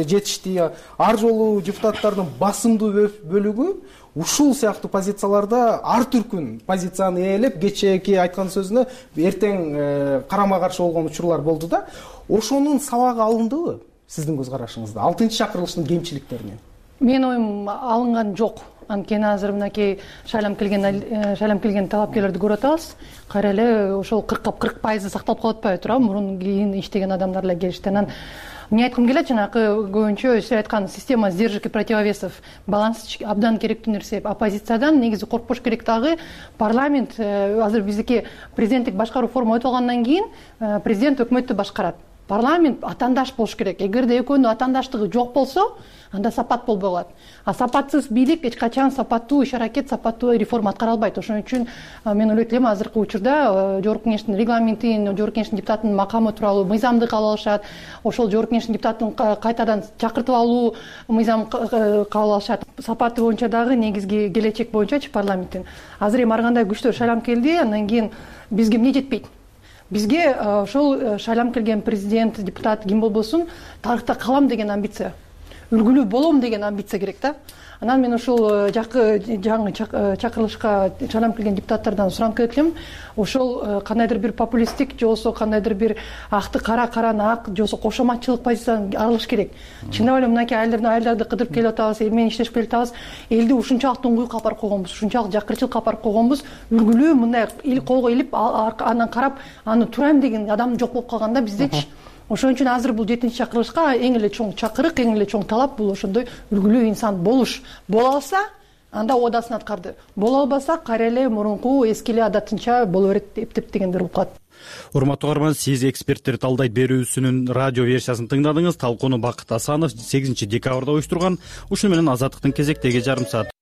[SPEAKER 7] жетишти. Ар жолу депутаттардын басымдуу бөлүгү ушул сыяктуу позицияларда ар түркүн позицияны ээлеп, кечээки айткан сөзүнө эртең карама каршы болгон учурлар болду да. Ошонун сабагы алындыбы сиздин көз карашыңызда? алтынчы чакырылыштын кемчиликтеринен.
[SPEAKER 6] Менин оюм алынган жок. Анткени азыр мынакей шайлам келген шайлам келген талапкерлерди көрүп атабыз. Кайра эле ошол кыркка кырк пайызы сакталып калып атпайбы туурабы? Мурун кийин иштеген адамдар эле келишти. Анан эмне айткым келет, жанакы көбүнчө сиз айткан система сдержек и противовесов баланс абдан керектүү нерсе. Оппозициядан негизи коркпош керек дагы. Парламент азыр биздики президенттик башкаруу форма өтүп алгандан кийин президент өкмөттү башкарат. Парламент атаандаш болуш керек. Эгерде экөөнүн атаандаштыгы жок болсо, анда сапат болбой калат. А сапатсыз бийлик эч качан сапаттуу иш аракет, сапаттуу реформа аткара албайт. Ошон үчүн мен ойлойт элем азыркы учурда Жогорку Кеңештин регламентин, Жогорку Кеңештин депутатынын макамы тууралуу мыйзамды кабыл алышат. Ошол Жогорку Кеңештин депутатын кайтадан чакыртып алуу мыйзам кабыл алышат. Сапаты боюнча дагы негизги келечек боюнчачы парламенттин. Азыр эми ар кандай күчтөр шайлам келди, андан кийин бизге эмне жетпейт? Бизге ошол шайлам келген президент, депутат ким болбосун тарыхта калам деген амбиция. үлгүлүү болом деген амбиция керек да. Анан мен ошол жакы жаңы чакырылышка чанам келген депутаттардан суранып келет элем, ошол кандайдыр бир популисттик же болбосо кандайдыр бир акты кара, караны ак же болбосо кошоматчылык позициядан арылыш керек. Чындап эле мынакей айылдарды айылдарды кыдырып келип атабыз, эл менен иштешип келип атабыз, элди ушунчалык уңгуйукка алып барып койгонбуз, ушунчалык жакырчылыкка алып барып койгонбуз, үлгүлүү мындай колго илип андан карап аны турайм деген адам жок болуп калганда биздечи. Ошон үчүн азыр бул жетинчи чакырылышка эң эле чоң чакырык, эң эле чоң талап бул ошондой үлгүлүү инсан болуш. Боло алса, анда одасын аткарды. Боло албаса, кайра эле мурунку эски эле адатынча боло берет эптеп дегендер болуп калат.
[SPEAKER 1] Урматтуу угарман, сиз эксперттер талдайт берүүсүнүн радио версиясын тыңдадыңыз. Талкууну Бакыт Асанов сегизинчи декабрда уюштурган. Ушуну менен Азаттыктын кезектеги жарым саат